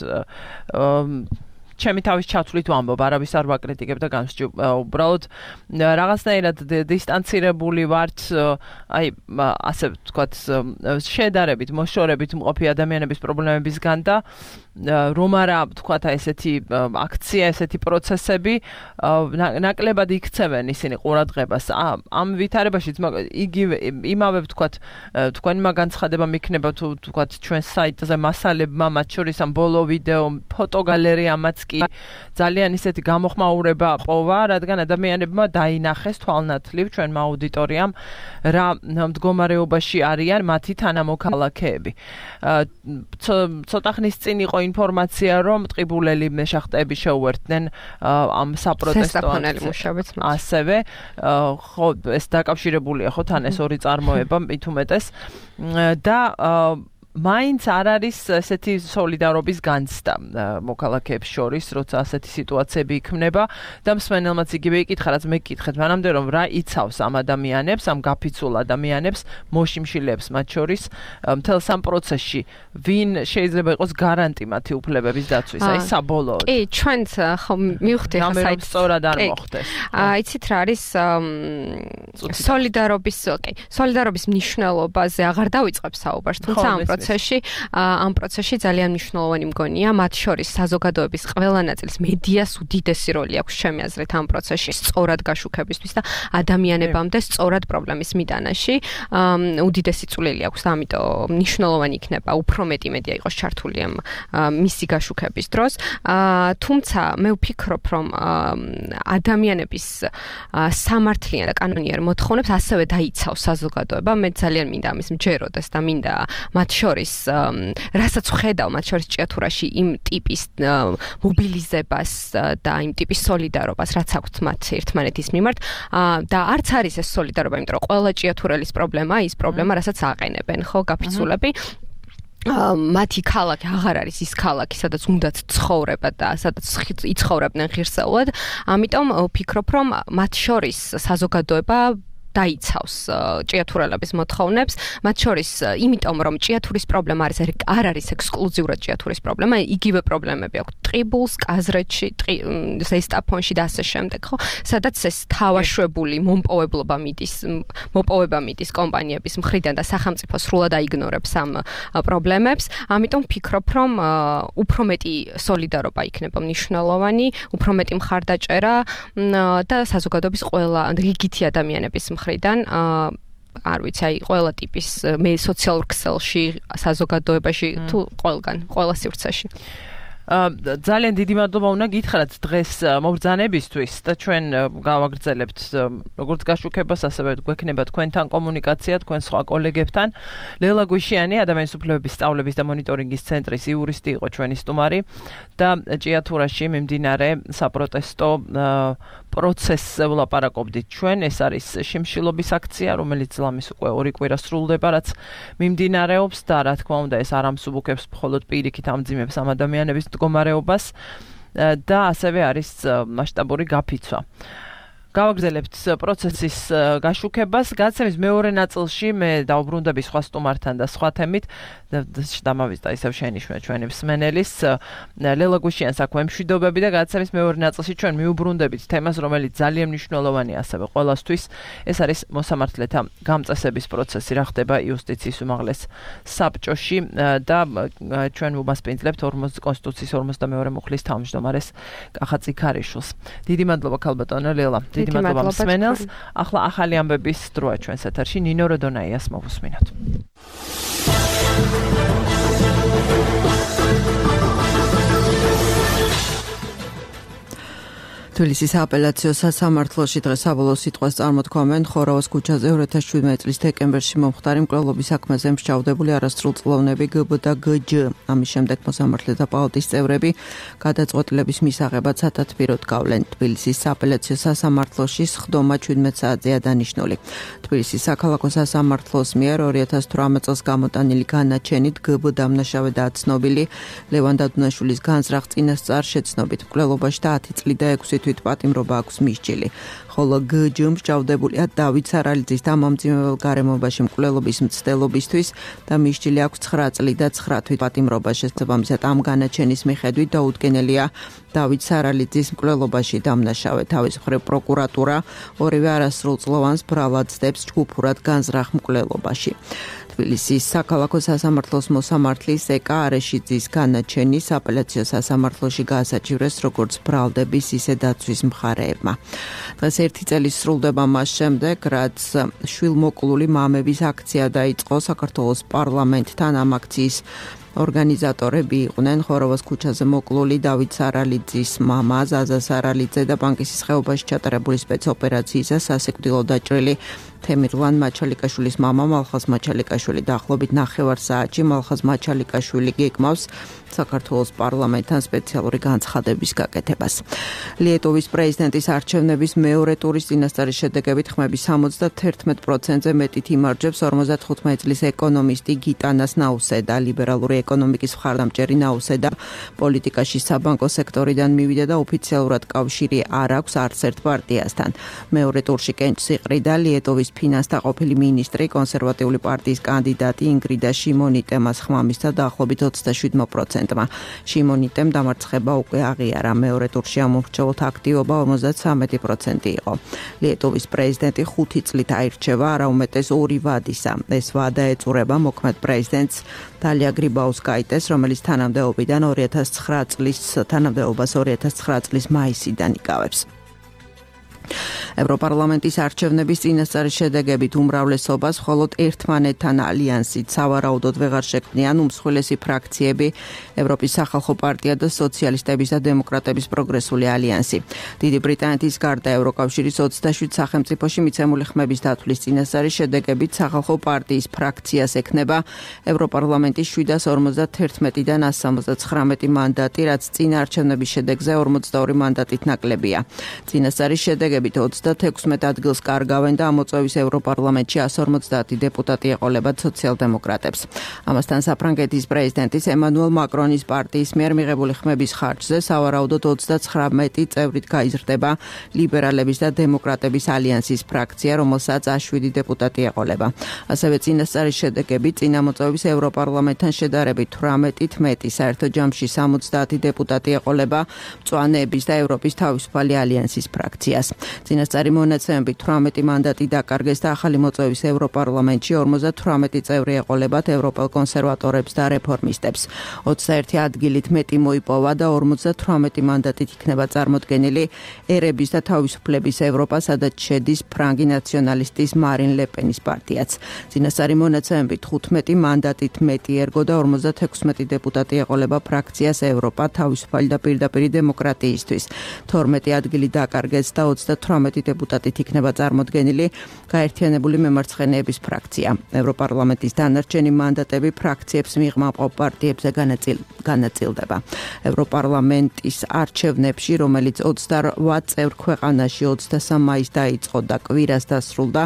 ჩემი თავის ჩათვლით ვამბობ, არავის არ ვაკრიტიკებ და განსჯობ. უბრალოდ რაღაცნაირად დისტანცირებული ვართ, აი ასე ვთქვათ, შედარებით, მოშორებით მყოფი ადამიანების პრობლემებისგან და რომ არა ვთქვათ ესეთი აქცია, ესეთი პროცესები ნაკლებად იქცევენ ისინი ყურადღებას. ამ ვითარებაშიც იგივე იმავე ვთქვათ, თქვენმა განცხადება მიქნება თუ ვთქვათ ჩვენს საიტზე მასალებმა, მათ შორის ამ ბოლო ვიდეო, ფოტოგალერეამაც კი ძალიან ისეთი გამოხმაურება პოვა, რადგან ადამიანებმა დაინახეს თვალნათლივ ჩვენმა აუდიტორიამ რა მდგომარეობაში არიან მათი თანამოქალაქეები. ცოტა ხნის წინ იყო ინფორმაცია, რომ ტყიბულელი მეშახტეები შეუერთდნენ ამ საპროტესტო მუშაობებს. ასევე ხო ეს დაკავშირებულია ხო თან ეს ორი წარმოება მით უმეტეს და მაინც არ არის ესეთი სოლიდარობის განცდა მოქალაქეებს შორის, როცა ასეთი სიტუაციები იქმნება და მსმენელმაც იგივე იკითხა, რაც მე გკითხეთ მანამდე, რომ რა იცავს ამ ადამიანებს, ამ გაფიცულ ადამიანებს, მოშიმშილეებს მათ შორის მთელ სამ პროცესში, ვინ შეიძლება იყოს გარანტი მათი უფლებების დაცვის, აი საბოლოოდ. კი, ჩვენც ხო მივხვდი ხა საით სწორად არ მოხდეს. იცით რა არის სოლიდარობის მნიშვნელობაზე აღარ დავიწყებ საუბარს, თუმცა ამ პროცესში ძალიან მნიშვნელოვანი მგონია, მათ შორის საზოგადოების ყველა ნაწილს მედიას უდიდესი როლი აქვს ჩემი აზრით ამ პროცესში სწორად გაშუქებისთვის და ადამიანებამდე სწორად პრობლემის მიტანაში უდიდესი წვლილი აქვს და ამიტომ მნიშვნელოვანი იქნება უფრო მეტი მედია იყოს ჩართული ამ მისი გაშუქების დროს. თუმცა მე ვფიქრობ, რომ ადამიანების სამართლიან და კანონიერ მოთხოვნებს ასევე დაიცავს საზოგადოება. მე ძალიან მინდა ამის მჯეროდეს და მინდა მათ შორის რასაც ვხედავ მათ შორის ჭიათურაში იმ ტიპის მობილიზებას და იმ ტიპის სოლიდარობას, რაც აქვთ მათ ერთმანეთის მიმართ და არც არის ეს სოლიდარობა, იმიტომ რომ ყველა ჭიათურელის პრობლემაა ის პრობლემა, რასაც აყენებენ, ხო, გაფიცულები. მათი ქალაქი აღარ არის ის ქალაქი, სადაც უნდათ ცხოვრება და სადაც იცხოვრებდნენ ღირსეულად. ამიტომ ვფიქრობ, რომ მათ შორის საზოგადოება დაიცავს ჭიათურელების მოთხოვნებს, მათ შორის იმიტომ, რომ ჭიათურის პრობლემა არ არის ექსკლუზიურად ჭიათურის პრობლემა, იგივე პრობლემები აქვს ტყიბულს, კაზრეთში, ზესტაფონში და ასე შემდეგ, ხო? სადაც ეს თავაშვებული მომპოვებლობა მიდის კომპანიების მხრიდან და სახელმწიფო სრულად აიგნორებს ამ პრობლემებს. ამიტომ ვფიქრობ, რომ უფრო მეტი სოლიდარობა იქნება მნიშვნელოვანი, უფრო მეტი მხარდაჭერა და საზოგადოების ყველა რიგითი ადამიანების მხრიდან არ ვიცი, აი ყველა ტიპის მე სოციალურ ქსელში, საზოგადოებაში თუ ყველა სივრცეში. ძალიან დიდი მადლობა უნდა გითხრათ დღეს მობრძანებისთვის და ჩვენ გავაგრძელებთ როგორც გაშუქებას, ასევე გვექნება თქვენთან კომუნიკაცია, თქვენ სხვა კოლეგებთან. ლელა გვიშიანი, ადამიანის უფლებების სწავლების და მონიტორინგის ცენტრის იურისტი იყო ჩვენი სტუმარი და ჭიათურაში მიმდინარე საპროტესტო პროცესზე ვლაპარაკობდით ჩვენ. ეს არის შიმშილობის აქცია, რომელიც ლამის უკვე 2 კვირა სრულდება, რაც მიმდინარეობს და რა თქმა უნდა ეს არ ამსუბუქებს მხოლოდ პირიქით ამძიმებს ამ ადამიანების მდგომარეობას და ასევე არის მასშტაბური გაფიცვა. გავაგრძელებთ პროცესის გაშუქებას. გაცემის მეორე ნაწილში მე დავბრუნდები სხვა სტუმართან და სხვა თემით. დამავიწყდა ისევ შენიშნე ჩვენი მსმენელის ლელა გვიშიანს აქვე მშვიდობები და გაცემის მეორე ნაწილში ჩვენ მიუბრუნდებით თემას, რომელიც ძალიან მნიშვნელოვანია ასევე ყველასთვის. ეს არის მოსამართლეთა გამწესების პროცესი, რა ხდება იუსტიციის უმაღლეს საბჭოში და ჩვენ ვუმასპინძლებთ კონსტიტუციის 42 მუხლის თავმჯდომარეს კახა წიქარიშვილს. დიდი მადლობა ქალბატონო ლელა. დიდი მადლობა მსმენელს. ახლა ახალი ამბების დროა ჩვენს ეთერში. ნინო როდონაიას მოვუსმინოთ. თბილისის აპელაციო სასამართლოში დღეს საბოლოო სიტყვას წარმოთქვამენ ხორავას ქუჩაზე 2017 წლის დეკემბერში მომხდარი მკვლელობის საქმეზე მსჯავრდებული არასრულწლოვნები გბ და გჯ. ამის შემდეგ მოსამართლეთა პალატის წევრები გადაწყვეტილების მისაღებად სათათბიროდ გავლენ. თბილისის აპელაციო სასამართლოში სხდომა 17 საათზეა დანიშნული. თბილისის საქალაქო სასამართლოს მიერ 2018 წელს გამოტანილი განაჩენით გბ დამნაშავე და ცნობილი ლევან დადუნაშვილის განზრახ წინასწარ შეცნობით მკვლელობაში და 10 წლი და 6 თვით პატიმრობა აქვს მისჯილი. ხოლო გჯ მსჯავრდებულია დავით სარალიძის დამამძიმებელ გარემობაში მკვლელობის მცდელობისთვის და მისჯილი აქვს 9 წლი და 9 თვით პატიმრობა. შესაბამისად ამ განაჩენის მიხედვით დაუდგენელია დავით სარალიძის მკვლელობაში დამნაშავე. თავის მხრივ პროკურატურა ორივე არასრულწლოვანს ბრალად ცდებს ჯგუფურად განზრახ მკვლელობაში. თბილისის საქალაქო სასამართლოს მოსამართლის ეკა არეშიძის განაჩენის აპელაციო სასამართლოში გაასაჩივრეს როგორც ბრალდების, ისე დაცვის მხარეებმა. დღეს 1 წელი სრულდება მას შემდეგ, რაც შვილმოკლული მამების აქცია დაიწყო საქართველოს პარლამენტთან. ამ აქციის ორგანიზატორები იყვნენ ხოროვოს ქუჩაზე მოკლული დავით სარალიძის მამა ზაზა სარალიძე და ბანკის ხეობაში ჩატარებული სპეცოპერაციისა სასიკვდილო დაჭრილი თემირლან მაჩალიკაშვილის მამა მალხაზ მაჩალიკაშვილი დაახლოებით 9 საათში მალხაზ მაჩალიკაშვილი გეკმავს საქართველოს პარლამენტთან სპეციალური განცხადების გაკეთებას. ლიეტოვის პრეზიდენტის არჩევნების მეორე ტურის წინასწარის შედეგებით ხმების 71%-ზე მეტით იმარჯვებს 55 წლის ეკონომისტი გიტანას ნაუსედა. ლიბერალური ეკონომიკის მხარდამჭერი ნაუსედა პოლიტიკაში საბანკო სექტორიდან მივიდა და ოფიციალურად კავშირი არ აქვს არც ერთ პარტიასთან. მეორე ტურში კენჭს იყრიდა ლიეტოვის ფინანსთა ყოფილი მინისტრი კონსერვატიული პარტიის კანდიდატი ინგრიდა შიმონიტემას ხმამისთა დაახლოებით 27%-მა. შიმონიტემ დამარცხება უკვე აღიარა. მეორე ტურში ამომრჩევლთა აქტივობა 53% იყო. ლიეტოვის პრეზიდენტი 5 წლით აირჩევა არაუმეტეს 2 ვადისა. ეს ვადა ეწურება მოქმედ პრეზიდენტს დალია გრიბაუსკაიტეს, რომელიც თანამდებობიდან 2009 წლის მაისიდან იკავებს. ევროპარლამენტის არჩევნების წინასწარის შედეგებით უმრავლესობას მხოლოდ ერთმანეთთან ალიანსით სავარაუდოდ ვეღარ შექმნიან უმსხვილესი ფრაქციები ევროპის სახალხო პარტია და სოციალისტების და დემოკრატების პროგრესული ალიანსი. დიდი ბრიტანეთის გარდა ევროკავშირის 27 სახელმწიფოში მიცემული ხმების დათვლის წინასწარის შედეგებით სახალხო პარტიის ფრაქციას ექნება ევროპარლამენტის 751-დან 179 მანდატი, რაც წინა არჩევნების შედეგზე 42 მანდატით ნაკლებია. წინასწარის შედეგებით 36 ადგილს კარგავენ და ამოწევის ევროპარლამენტში 150 დეპუტატი ეყოლებათ სოციალ-დემოკრატებს. ამასთან საფრანგეთის პრეზიდენტის ემანუელ მაკრონის პარტიის მიერ მიღებული ხმების ხარჯზე სავარაუდოდ 39 წევრით გაიზრდება ლიბერალების და დემოკრატების ალიანსის ფრაქცია, რომელსაც 7 დეპუტატი ეყოლება. ასევე წინასწარის შედეგებით წინამოწევის ევროპარლამენტთან შედარებით 18-ით მეტი, საერთო ჯამში 70 დეპუტატი ეყოლება მწვანეების და ევროპის თავისუფალი ალიანსის ფრაქციას. წინასწარი მონაცემებით 18 მანდატი დაკარგეს და ახალი მოწვევის ევროპარლამენტში 58 წევრი ეყოლებათ ევროპელ კონსერვატორებს და რეფორმისტებს. 21 ადგილით მეტი მოიპოვა და 58 მანდატით იქნება წარმოდგენილი ერების და თავისუფლების ევროპა, სადაც შედის ფრანგი ნაციონალისტის მარინ ლეპენის პარტიაც. წინასწარი მონაცემებით 15 მანდატით მეტი ერგო და 56 დეპუტატი ეყოლება ფრაქციას ევროპა, თავისუფალი და პირდაპირი დემოკრატიისთვის. 12 ადგილი დაკარგეს და 38 დეპუტატით იქნება წარმოდგენილი გაერთიანებული მემარცხენეების ფრაქცია. ევროპარლამენტის დანარჩენი მანდატები ფრაქციებს მიღმა პარტიებზე განაწილდება. ევროპარლამენტის არჩევნებში, რომელიც 28 წევრ ქვეყანაში 23 მაისს დაიწყო და კვირას დასრულდა,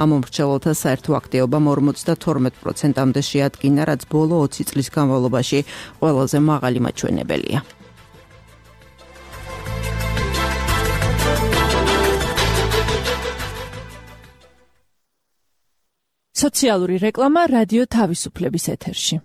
ამომრჩევლთა საერთო აქტივობამ 52%-მდე შეადგინა, რაც ბოლო 20 წლის განმავლობაში ყველაზე მაღალი მაჩვენებელია. სოციალური რეკლამა რადიო თავისუფლების ეთერში.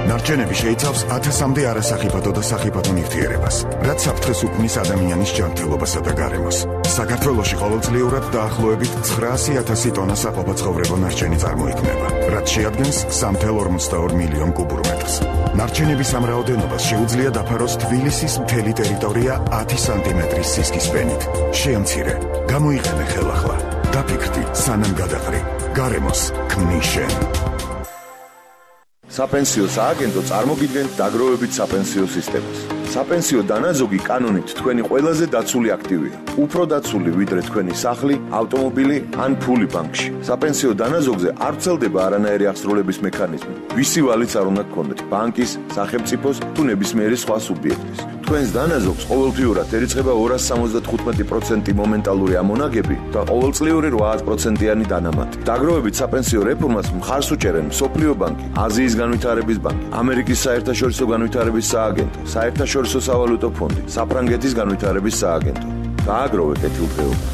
ნარჩენები შეიცავს 1000-მდე არასახიფათო და სახიფათო ნივთიერებას, რაც საფრთხეს უქმნის ადამიანის ჯანმრთელობასა და გარემოს. საქართველოში ყოველწლიურად დაახლოებით 900,000 ტონა საყოფაცხოვრებო ნარჩენი წარმოიქმნება, რაც შეადგენს 3,42 მილიონ კუბურ მეტრს. ნარჩენების ამ რაოდენობას შეუძლია დაფაროს თბილისის მთელი ტერიტორია 10 სანტიმეტრის სისქის ფენით. შეამცირე, გამოიყენე ხელახლა. დაფიქრდი, სანამ გადაყრი. გარემოს ქმნის შენ. საპენსიო სააგენტო წარმოგიდგენთ დაგროვებით საპენსიო სისტემას. საპენსიო დანაზოგი კანონით თქვენი ყველაზე დაცული აქტივია. უფრო დაცული ვიდრე თქვენი სახლი, ავტომობილი ან ფული ბანკში. საპენსიო დანაზოგზე არ ვრცელდება არანაირი აღსრულების მექანიზმი. ვისი ვალიც არ უნდა გქონდეთ, ბანკის, სახელმწიფოს თუ ნებისმიერი სხვა სუბიექტის. თქვენს დანაზოგს ყოველთვიურად ერიცხება 275% მომენტალური ამონაგები და ყოველწლიური 8%-იანი დანამატი. დაგროვებით საპენსიო რეფორმას მხარს უჭერენ მსოფლიო ბანკი, აზიის განვითარების ბანკი, ამერიკის საერთაშორისო განვითარების სააგენტო, საერთაშორისო სავალუტო ფონდი, საფრანგეთის განვითარების სააგენტო. დააგროვე კეთილდღეობა.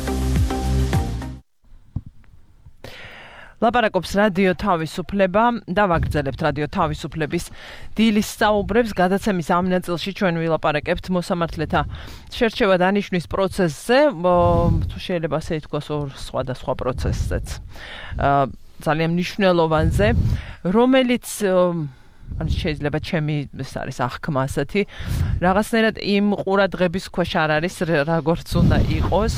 ლაპარაკობს რადიო თავისუფლება და ვაგრძელებთ რადიო თავისუფლების დილის საუბრებს. გადაცემის ამ ნაწილში ჩვენ ვილაპარაკებთ მოსამართლეთა შერჩევა დანიშვნის პროცესზე, თუ შეიძლება ასე ითქვას, ორ სხვადასხვა პროცესზეც. ძალიან მნიშვნელოვანზე, რომელიც შეიძლება ჩემი ეს არის აღქმა ასეთი, რაღაცნაირად იმ ყურადღების ქვეშ არ არის, როგორც უნდა იყოს.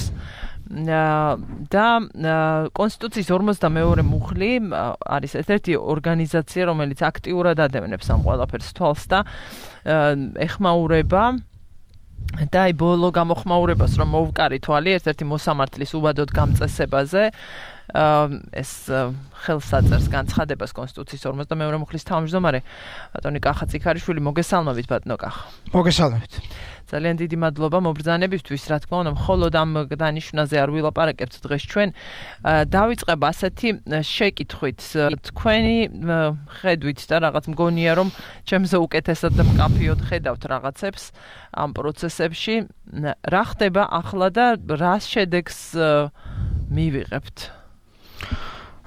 და კონსტიტუციის 52 მუხლი არის ერთ-ერთი ორგანიზაცია, რომელიც აქტიურად ადევნებს ამ ყველაფერს თვალს და ეხმაურება და აი ბოლო გამოხმაურებას რომ მოვკარი თვალი ერთ-ერთი მოსამართლის უბადოდ გამწესებაზე ეს ხელსაწერს განცხადებას კონსტიტუციის 52 მუხლის თავმჯდომარე ბატონი კახა ციქარიშვილი მოგესალმებით ბატონო კახა. მოგესალმებით. ძალიან დიდი მადლობა მობრძანებისთვის, რა თქმა უნდა, მხოლოდ ამ დანიშნაზე არ ვილაპარაკებთ დღეს ჩვენ. დავიწყებ ასეთი შეკითხვით. თქვენი ხედვით და რაღაც მგონია რომ ჩემზე უკეთესად და მკაფიოდ ხედავთ რაღაცებს ამ პროცესებში. რა ხდება ახლა და რა შედეგს მივიღებთ?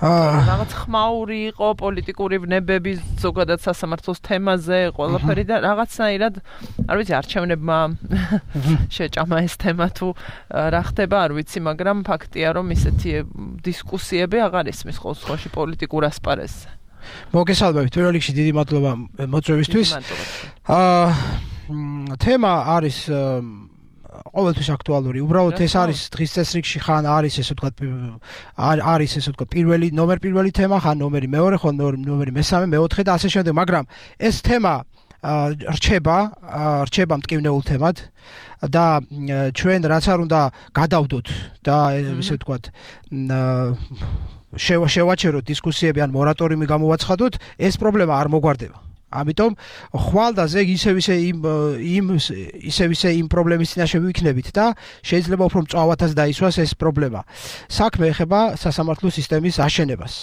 რაღაც ხმაური იყო პოლიტიკური ვნებები ზოგადად სასამართლოს თემაზე ყველაფერი და რაღაცნაირად არ ვიცი არჩევნებმა შეჭამა ეს თემა თუ რა ხდება არ ვიცი მაგრამ ფაქტია რომ ისეთი დისკუსიები აღარ ისმის ხოლმე პოლიტიკურ ასპარეზზე. მოგესალმებით პირველ რიგში დიდი მადლობა მოწვევისთვის. თემა არის ყოველთვის აქტუალური. უბრალოდ ეს არის დღის წესრიგში ხან არის ესე ვთქვათ არის ესე ვთქვათ პირველი თემა, ხან ნომერი მეორე, ხან ნომერი მესამე, მეოთხე და ასე შემდეგ, მაგრამ ეს თემა რჩება მტკივნეულ თემად და ჩვენ რაც არ უნდა გადავდოთ და ესე ვთქვათ შევაჩეროთ დისკუსიები ან მორატორიუმი გამოვაცხადოთ, ეს პრობლემა არ მოგვარდება. ამიტომ ხვალ და ზეგ ისევ ისე იმ პრობლემის წინაშე ვიქნებით და შეიძლება უფრო მწვავათაც დაისვას ეს პრობლემა. საქმე ეხება სასამართლო სისტემის აშენებას.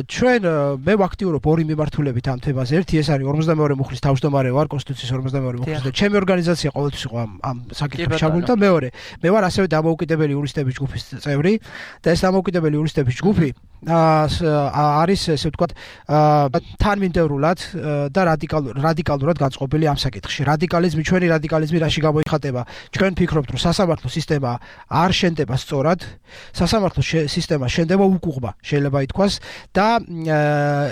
ჩვენ მე ვაქტიურობ ორი მიმართულებით ამ თემაზე. ერთი ეს არის 52 მუხლის თავმჯდომარე ვარ, კონსტიტუციის 52 მუხლის და ჩემი ორგანიზაცია ყოველთვის იყო ამ საკითხებში ჩაბმული და მეორე მე ვარ ასევე დამოუკიდებელი იურისტების ჯგუფის წევრი და ეს დამოუკიდებელი იურისტების ჯგუფი არის ესე ვთქვათ თანმიმდევრულად და რადიკალურად განწყობილი ამ საკითხში. ჩვენი რადიკალიზმი რაში გამოიხატება? ჩვენ ვფიქრობთ, რომ სასამართლო სისტემა არ შენდება სწორად, სასამართლო სისტემა შენდება უკუღმა, შეიძლება ითქვას და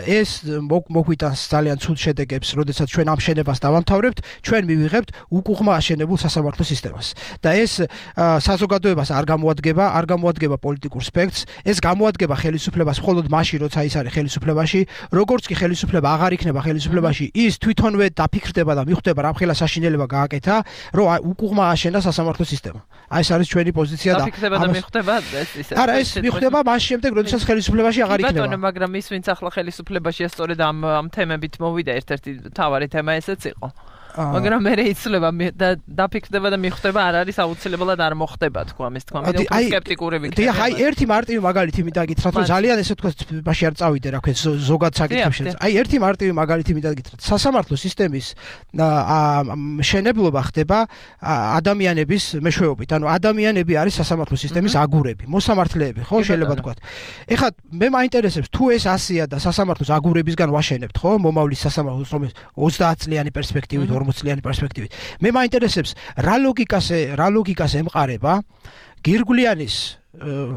ეს მოგვიტანს ძალიან ცუდ შედეგებს, როდესაც ჩვენ ამ შენებას დავამთავრებთ, ჩვენ მივიღებთ უკუღმა აშენებულ სასამართლო სისტემას. და ეს საზოგადოებას არ გამოადგება პოლიტიკურ სპექტრს, ეს გამოადგება ხელისუფლებას მხოლოდ მაშინ, როცა ის არის ხელისუფლებაში, როგორც კი ხელისუფლება აღარ იქნება ხელისუფლებაში, ის თვითონვე დაფიქრდება და მიხვდება რა მხელა საშინელება გააკეთა, რომ უკუღმა აშენა სასამართლო სისტემა. აი ეს არის ჩვენი პოზიცია და დაფიქრდება და მიხვდება ეს ისე. არა, ეს მიხვდება მას შემდეგ, როდესაც ხელისუფლებაში აღარ იქნება. ბატონო, მაგრამ ის ვინც ახლა ხელისუფლებაშია, სწორედ ამ თემებით მოვიდა ერთ-ერთი მთავარი თემა ესეც იყო. მაგრამ მე იცლება და დაფიქრდება და მიხვდება არ არის აუცილებლად არ მოხდება თქვა ამის თქვა მე უფრო სკეპტიკური ვიქნები. აი ერთი მარტივი მაგალითი მინდა გითხრათ რომ ძალიან ესე თქვა მაშინ არ წავიდე რა ქვია ზოგად საკითხებში. აი ერთი მარტივი მაგალითი მინდა გითხრათ. სასამართლო სისტემის მშენებლობა ხდება ადამიანების მეშვეობით. ანუ ადამიანები არის სასამართლო სისტემის აგურები, მოსამართლეები, ხო შეიძლება თქვათ. ეხლა მე მაინტერესებს თუ ეს ასია და სასამართლოს აგურებისგან ვაშენებთ, ხო? მომავლის სასამართლოს რომ 30 წლიანი პერსპექტივით 40 წლიანი პერსპექტივით. მე მაინტერესებს რა ლოგიკას ემყარება გირგვლიანის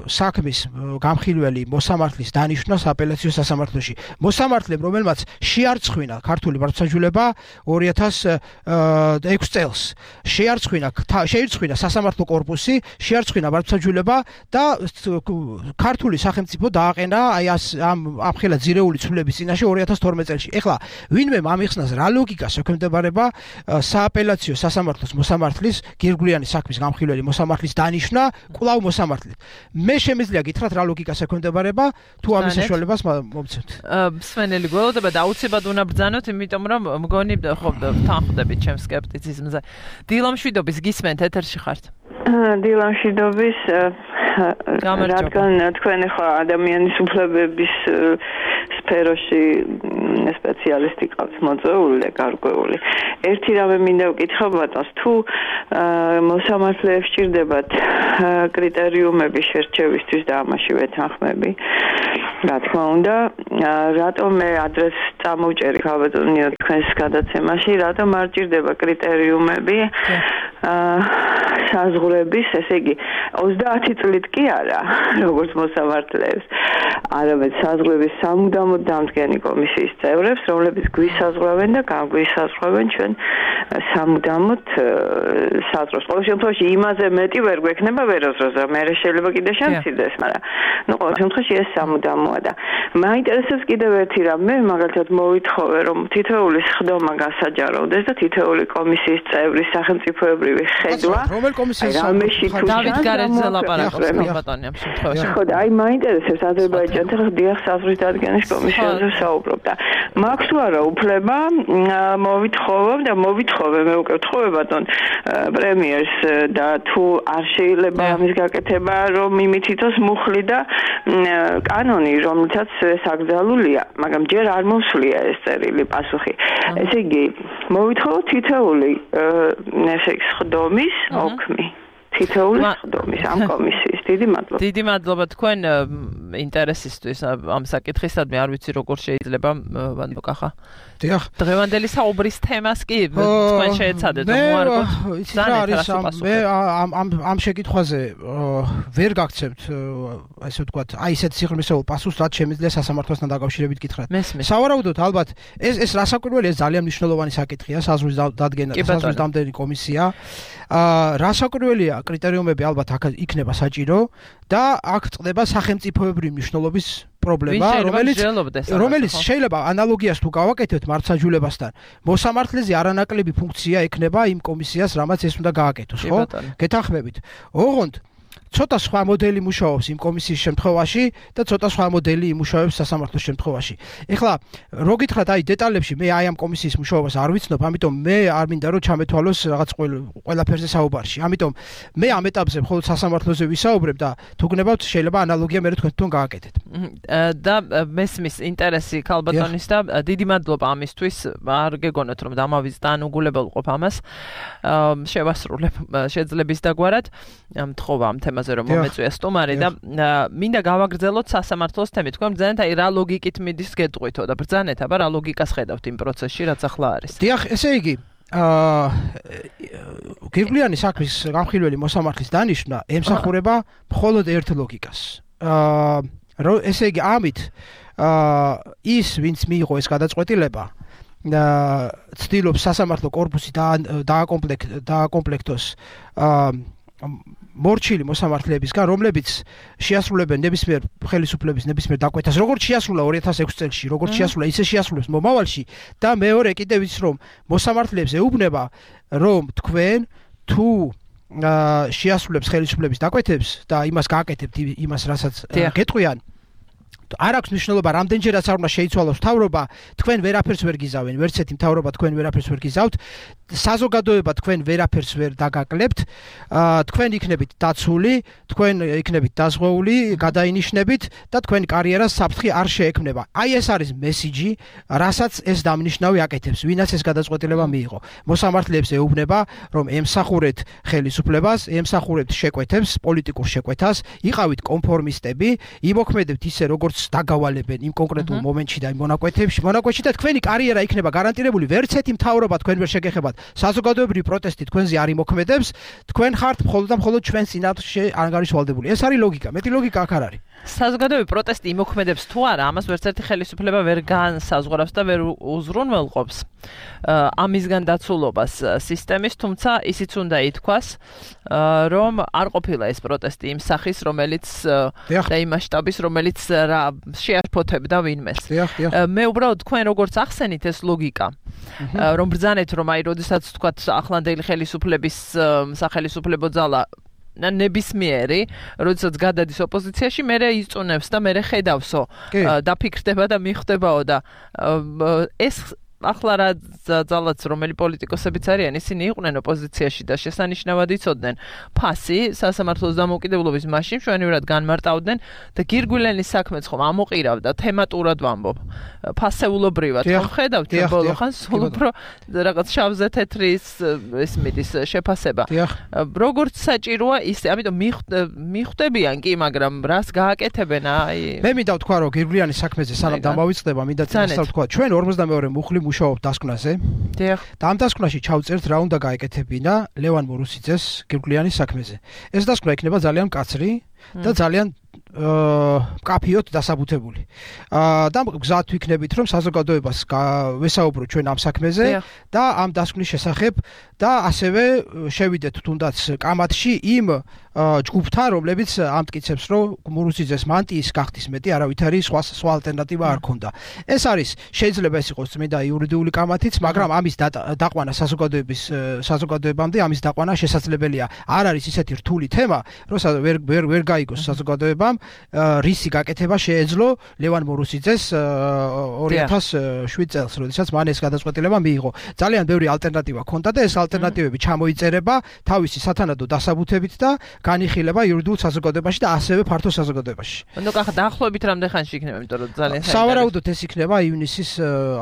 საქმის გამხილველი მოსამართლის დანიშვნა აპელაციო სასამართლოში. მოსამართლემ, რომელმაც შეარწხვინა ქართული მართლმსაჯულება 2006 წელს, შეირწხვინა სასამართლო კორპუსი, შეარწხვინა მართლმსაჯულება და ქართული სახელმწიფო დააყენა აი ამ ამხელა ძირეული ცვლილების წინაშე 2012 წელს. ეხლა ვინმე ამიხსნას რა ლოგიკას ექვემდებარება სააპელაციო სასამართლოს მოსამართლის გირგვლიანის საქმის გამხილველი მოსამართლის დანიშვნა კვლავ მოსამართლით. მე შემიძლია გითხრათ რა ლოგიკას ექვემდებარება თუ ამის საშუალებას მომცემთ. სვენელი გველოდება და აუცილებლად უნდა ბრძანოთ, იმიტომ რომ მგონი ხო თანხმდებით ჩემს სკეპტიციზმზე. დილამშვიდობის გისმენთ ეთერში ხართ. დილამშვიდობის რადგან თქვენ ხო ადამიანის უფლებების სფეროში სპეციალისტი ყავთ მოწვეული და გარკვეული. ერთი რამე მინდა ვკითხო ბატონს, თუ მოსამართლეებს სჭირდებათ კრიტერიუმები შერჩევისთვის და ამაშივე თანხმები. რა თქმა უნდა, რატომ მე ადრეს წამოვჭერი ხალბატონიო თქვენს გადაცემაში, რატომ არ სჭირდება კრიტერიუმები საზღვრების, ესე იგი 30 წლით კი არა, როგორც მოსამართლეებს. არამედ საზღვრების სამუდამოდ დამდგენი კომისიის წევრებს, რომლებიც გვისაზღვრავენ და განგვისაზღვრავენ ჩვენ სამუდამოდ საზღვრებს. ყოველ შემთხვევაში იმაზე მეტი ვერ გვექნება ვერასდროს, მე შეიძლება კიდე შემცირდეს, მაგრამ ყოველ შემთხვევაში ეს სამუდამოა და მაინტერესებს კიდევ ერთი რამ, მე მაგალითად მოვითხოვე, რომ თითოეული სხდომა გასაჯაროვდეს და თითოეული კომისიის წევრის სახელმწიფოებრივი ხედვა. რომელ კომისიას დავით გარეძე ლაპარაკობს ბატონი ამ შემთხვევაში. ხო და აი მაინტერესებს აზერბაიჯანთან ხა დიახ საზღვრის დადგენის კომისიაზე საუბრობ და მაქვს თუ არა უფლება მოვითხოვე მე უკვე ვთხოვე ბატონ პრემიერს და თუ არ შეიძლება ამის გაკეთება რომ იმითითოს მუხლი და კანონი რომელთაც საკრძალულია მაგრამ ჯერ არ მოსვლია ეს წერილი პასუხი ესე იგი მოვითხოვო თითოეული ესე იგი სხდომის ოქმი თითოეული სხდომის ამ კომისიის დიდი მადლობა თქვენ ინტერესისთვის ამ საკითხისადმი არ ვიცი როგორ შეიძლება ვანდოკახა დიახ დღევანდელი საუბრის თემას კი თქვენ შეეცადეთ მოარგოთ მე ამ შეკითხვაზე ვერ გაგცემთ ასე ვთქვათ აი ესეთ სიღრმისეულ პასუხს რაც შემიძლია სასამართლოსთან დაკავშირებით გითხრათ სავარაუდოდ ალბათ ეს რასაკვირველია ეს ძალიან მნიშვნელოვანი საკითხია საზღვრის დადგენა საზღვრის დამდენი კომისია რასაკვირველია კრიტერიუმები ალბათ აქ იქნება საჭირო და აქ წდება სახელმწიფოებრივი მნიშვნელობის პრობლემა, რომელიც შეიძლება ანალოგიას თუ გავაკეთებთ მართლმსაჯულებასთან, მოსამართლეზე არანაკლები ფუნქცია ექნება იმ კომისიას, რამაც ეს უნდა გააკეთოს, ხო? გეთანხმებით. ოღონდ ცოტა სხვა მოდელი მუშაობს იმ კომისიის შემთხვევაში და ცოტა სხვა მოდელი იმუშავებს სასამართლოს შემთხვევაში. ეხლა რო გითხრათ აი დეტალებში მე აი ამ კომისიის მუშაობას არ ვიცნობ, ამიტომ მე არ მინდა რომ ჩამეთვალოს რაღაც ყველაფერზე საუბარში. ამიტომ მე ამ ეტაპზე მხოლოდ სასამართლოზე ვისაუბრებ და თუ გნებავთ შეიძლება ანალოგია მე თქვენ გააკეთეთ. და მესმის ინტერესი ქალბატონის და დიდი მადლობა ამისთვის. არ გეგონოთ რომ დამავიწყდა ან უგულებელყოფ ამას. შევასრულებ შეძლების დაგვარად მთხოვა ამ თემაზე რომ მომეწვია სტუმარი და მინდა გავაგრძელოთ სასამართლოს თემით. თქვენ ბრძანეთ აი რა ლოგიკით მიდის გეტყვითო და ბრძანეთ აბა რა ლოგიკას ხედავთ იმ პროცესში რაც ახლა არის. დიახ, ესე იგი გირგვლიანი საქმის გამხილველი მოსამართლის დანიშვნა ემსახურება მხოლოდ ერთ ლოგიკას. ესე იგი ამით ის ვინც მიიღო ეს გადაწყვეტილება ცდილობს სასამართლო კორპუსი დააკომპლექტოს მორჩილი მოსამართლეებისგან, რომლებიც შეასრულებენ ნებისმიერ ხელისუფლების ნებისმიერ დაკვეთას, როგორც შეასრულა 2006 წელს, როგორც შეასრულა, ისე შეასრულებს მომავალში და მეორე კიდევ ის რომ მოსამართლეებს ეუბნება, რომ თქვენ თუ შეასრულებს ხელისუფლების დაკვეთებს და იმას გააკეთებთ იმას, რასაც გეტყვიან არ აქვს მნიშვნელობა რამდენჯერაც არ უნდა შეიცვალოს მთავრობა, თქვენ ვერაფერს ვერ გიზავენ, ვერც ერთი მთავრობა თქვენ ვერაფერს ვერ გიზავთ, საზოგადოება თქვენ ვერაფერს ვერ დაგაკლებთ, თქვენ იქნებით დაცული, თქვენ იქნებით დაზღვეული, გადაინიშნებით და თქვენი კარიერა საფრთხე არ შეექმნება. აი ეს არის მესიჯი, რასაც ეს დამნიშნავი აკეთებს, ვინაც ეს გადაწყვეტილება მიიღო. მოსამართლეებს ეუბნება, რომ ემსახურეთ ხელისუფლებას, ემსახურებთ შეკვეთებს, პოლიტიკურ შეკვეთას, იყავით კონფორმისტები, იმოქმედებთ ისე როგორც დაგავალებენ იმ კონკრეტულ მომენტში და იმ მონაკვეთში და თქვენი კარიერა იქნება გარანტირებული, ვერც ერთი მთავრობა თქვენ ვერ შეგეხებათ. საზოგადოებრივი პროტესტი თქვენზე არ იმოქმედებს, თქვენ ხართ მხოლოდ და მხოლოდ ჩვენს წინააღმდეგ ანგარიშვალდებული. ეს არის ლოგიკა, მეტი ლოგიკა აქ არ არის. საზოგადოებრივი პროტესტი იმოქმედებს თუ არა, ამას ვერც ერთი ხელისუფლება ვერ განსაზღვრავს და ვერ უზრუნველყოფს ამისგან დაცულობას სისტემის, თუმცა ისიც უნდა ითქვას, რომ არ ყოფილა ეს პროტესტი იმ სახის, რომელიც და იმ მასშტაბის, რომელიც შეაშფოთებდა ვინმეს. მე უბრალოდ თქვენ როგორც ახსენით ეს ლოგიკა, რომ ბრძანეთ, რომ აი როდესაც თქვათ ახლანდელი ხელისუფლების სახელისუფლებო ძალა ნებისმიერი, როდესაც გადადის ოპოზიციაში, მე იწუნებს და მე ხედავსო, დაფიქრდება და მიხვდებაო და ეს ახლა რა ძალაც რომელი პოლიტიკოსებიც არიან, ისინი იყვნენ ოპოზიციაში და შესანიშნავად იცოდნენ ფასი სასამართლოს დამოუკიდებლობის მაშინ ჩვენივრად განმარტავდნენ და გირგვლენის საქმეც ხომ ამოყირავდა თემატურად ვამბობ. ფასეულობრივად ხომ ხედავთ ბოლო ხანს სულ უფრო რაღაც შავზე თეთრის ეს მიდის შეფასება. როგორც საჭიროა ისე, ამიტომ მიხვდებიან კი, მაგრამ რას გააკეთებენ აი. მე მინდა ვთქვა, რომ გირგვლენის საქმეზე სანამ დამავიწყდება, მინდა ვთქვა, ჩვენ 52 მუხლი მუშაობთ დასკვნაზე. დიახ. და ამ დასკვნაში ჩავწერთ რა უნდა გაეკეთებინა ლევან მორუსიძეს გირგვლენის საქმეზე. ეს დასკვნა იქნება ძალიან მკაცრი, და ძალიან კაფიოთ დასაბუთებული. და გზად ვიქნებით, რომ საზოგადოებას ვესაუბრო ჩვენ ამ საქმეზე და ამ დასკვნის შესახებ და ასევე შევიდეთ თუნდაც კამათში იმ ჯგუფთან, რომლებიც ამტკიცებს, რომ მურუსიძეს მანტიის გახდის მეტი არავითარი სხვა ალტერნატივა არ ქონდა. ეს არის შეიძლება ეს იყოს წმინდა იურიდიული კამათიც, მაგრამ ამის დაყვანა საზოგადოებამდე ამის დაყვანა შესაძლებელია. არ არის ისეთი რთული თემა, რომ ვერ გაიგოს საზოგადოებამ რისი გაკეთება შეეძლო ლევან მურუსიძეს 2007 წელს, როდესაც მან ეს გადაწყვეტილება მიიღო. ძალიან ბევრი ალტერნატივა ქონდა და ეს ალტერნატივები ჩამოიწერება თავისი სათანადო დასაბუთებით და განიხილება იურიდიულ საზოგადოებაში და ასევე ფართო საზოგადოებაში. ნუ კახა დაახლოებით რამდენ ხანში იქნება, იმიტომ რომ ძალიან სავარაუდოდ ეს იქნება ივნისის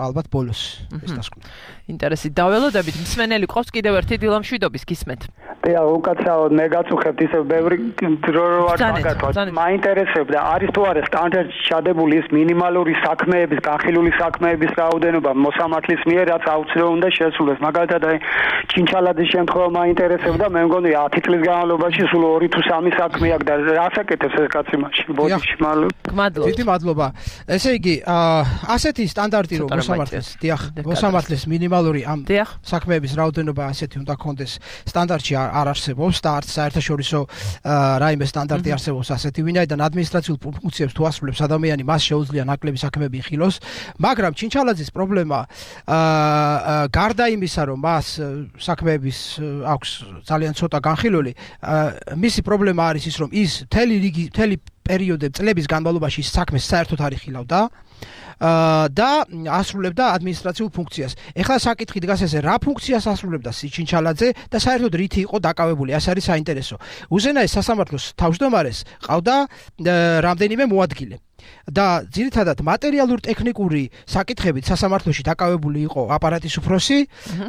ალბათ ბოლოს ეს დასკვნა. ინტერესი დაველოდებით მსმენელი ყავს კიდევ ერთი დილა მშვიდობის გისმენთ. და უკაცრავად მე გაწუხებთ ისე ბევრი დრო რო არ მაგათვათ. მაინტერესებდა არის თუ არა სტანდარტში ჩადებული ის მინიმალური საქმეების, განხილული საქმეების რაოდენობა მოსამართლის მიერ, რაც აუცილებლად უნდა შესრულდეს. მაგალითად აი ჩინჩალაძის შემთხვევა მაინტერესებდა, მე მგონი 10 წლის განმავლობაში სულ 2 თუ 3 საქმე აქვს და რას აკეთებს ეს კაცი მაშინ ბოდიში მადლობა. დიდი მადლობა. ესე იგი, ასეთი სტანდარტი რო მოსამართლის მინიმალური ამ საქმეების რაოდენობა ასეთი უნდა კონდეს სტანდარტში არ არსებობს და არც საერთაშორისო რაიმე სტანდარტი არსებობს ასეთი, ვინაიდან ადმინისტრაციულ ფუნქციებს თუ ასრულებს ადამიანი, მას შეუძლია ნაკლები საქმეები იხილოს, მაგრამ ჩინჩალაძის პრობლემა გარდა იმისა, რომ მას საქმეების აქვს ძალიან ცოტა განხილული, მისი პრობლემა არის ის, რომ ის მთელი პერიოდები წლების განმავლობაში საქმეს საერთოდ არ იხილავდა და ასრულებდა ადმინისტრაციულ ფუნქციას. ეხლა საკითხი დგას ესე, რა ფუნქციას ასრულებდა ჩინჩალაძე და საერთოდ რითი იყო დაკავებული, ეს არის საინტერესო. უზენაეს სასამართლოს თავმჯდომარეს ყავდა რამდენიმე მოადგილე. და ძირითადად მატერიალურ-ტექნიკური საკითხებით სასამართლოში დაკავებული იყო აპარატის უფროსი,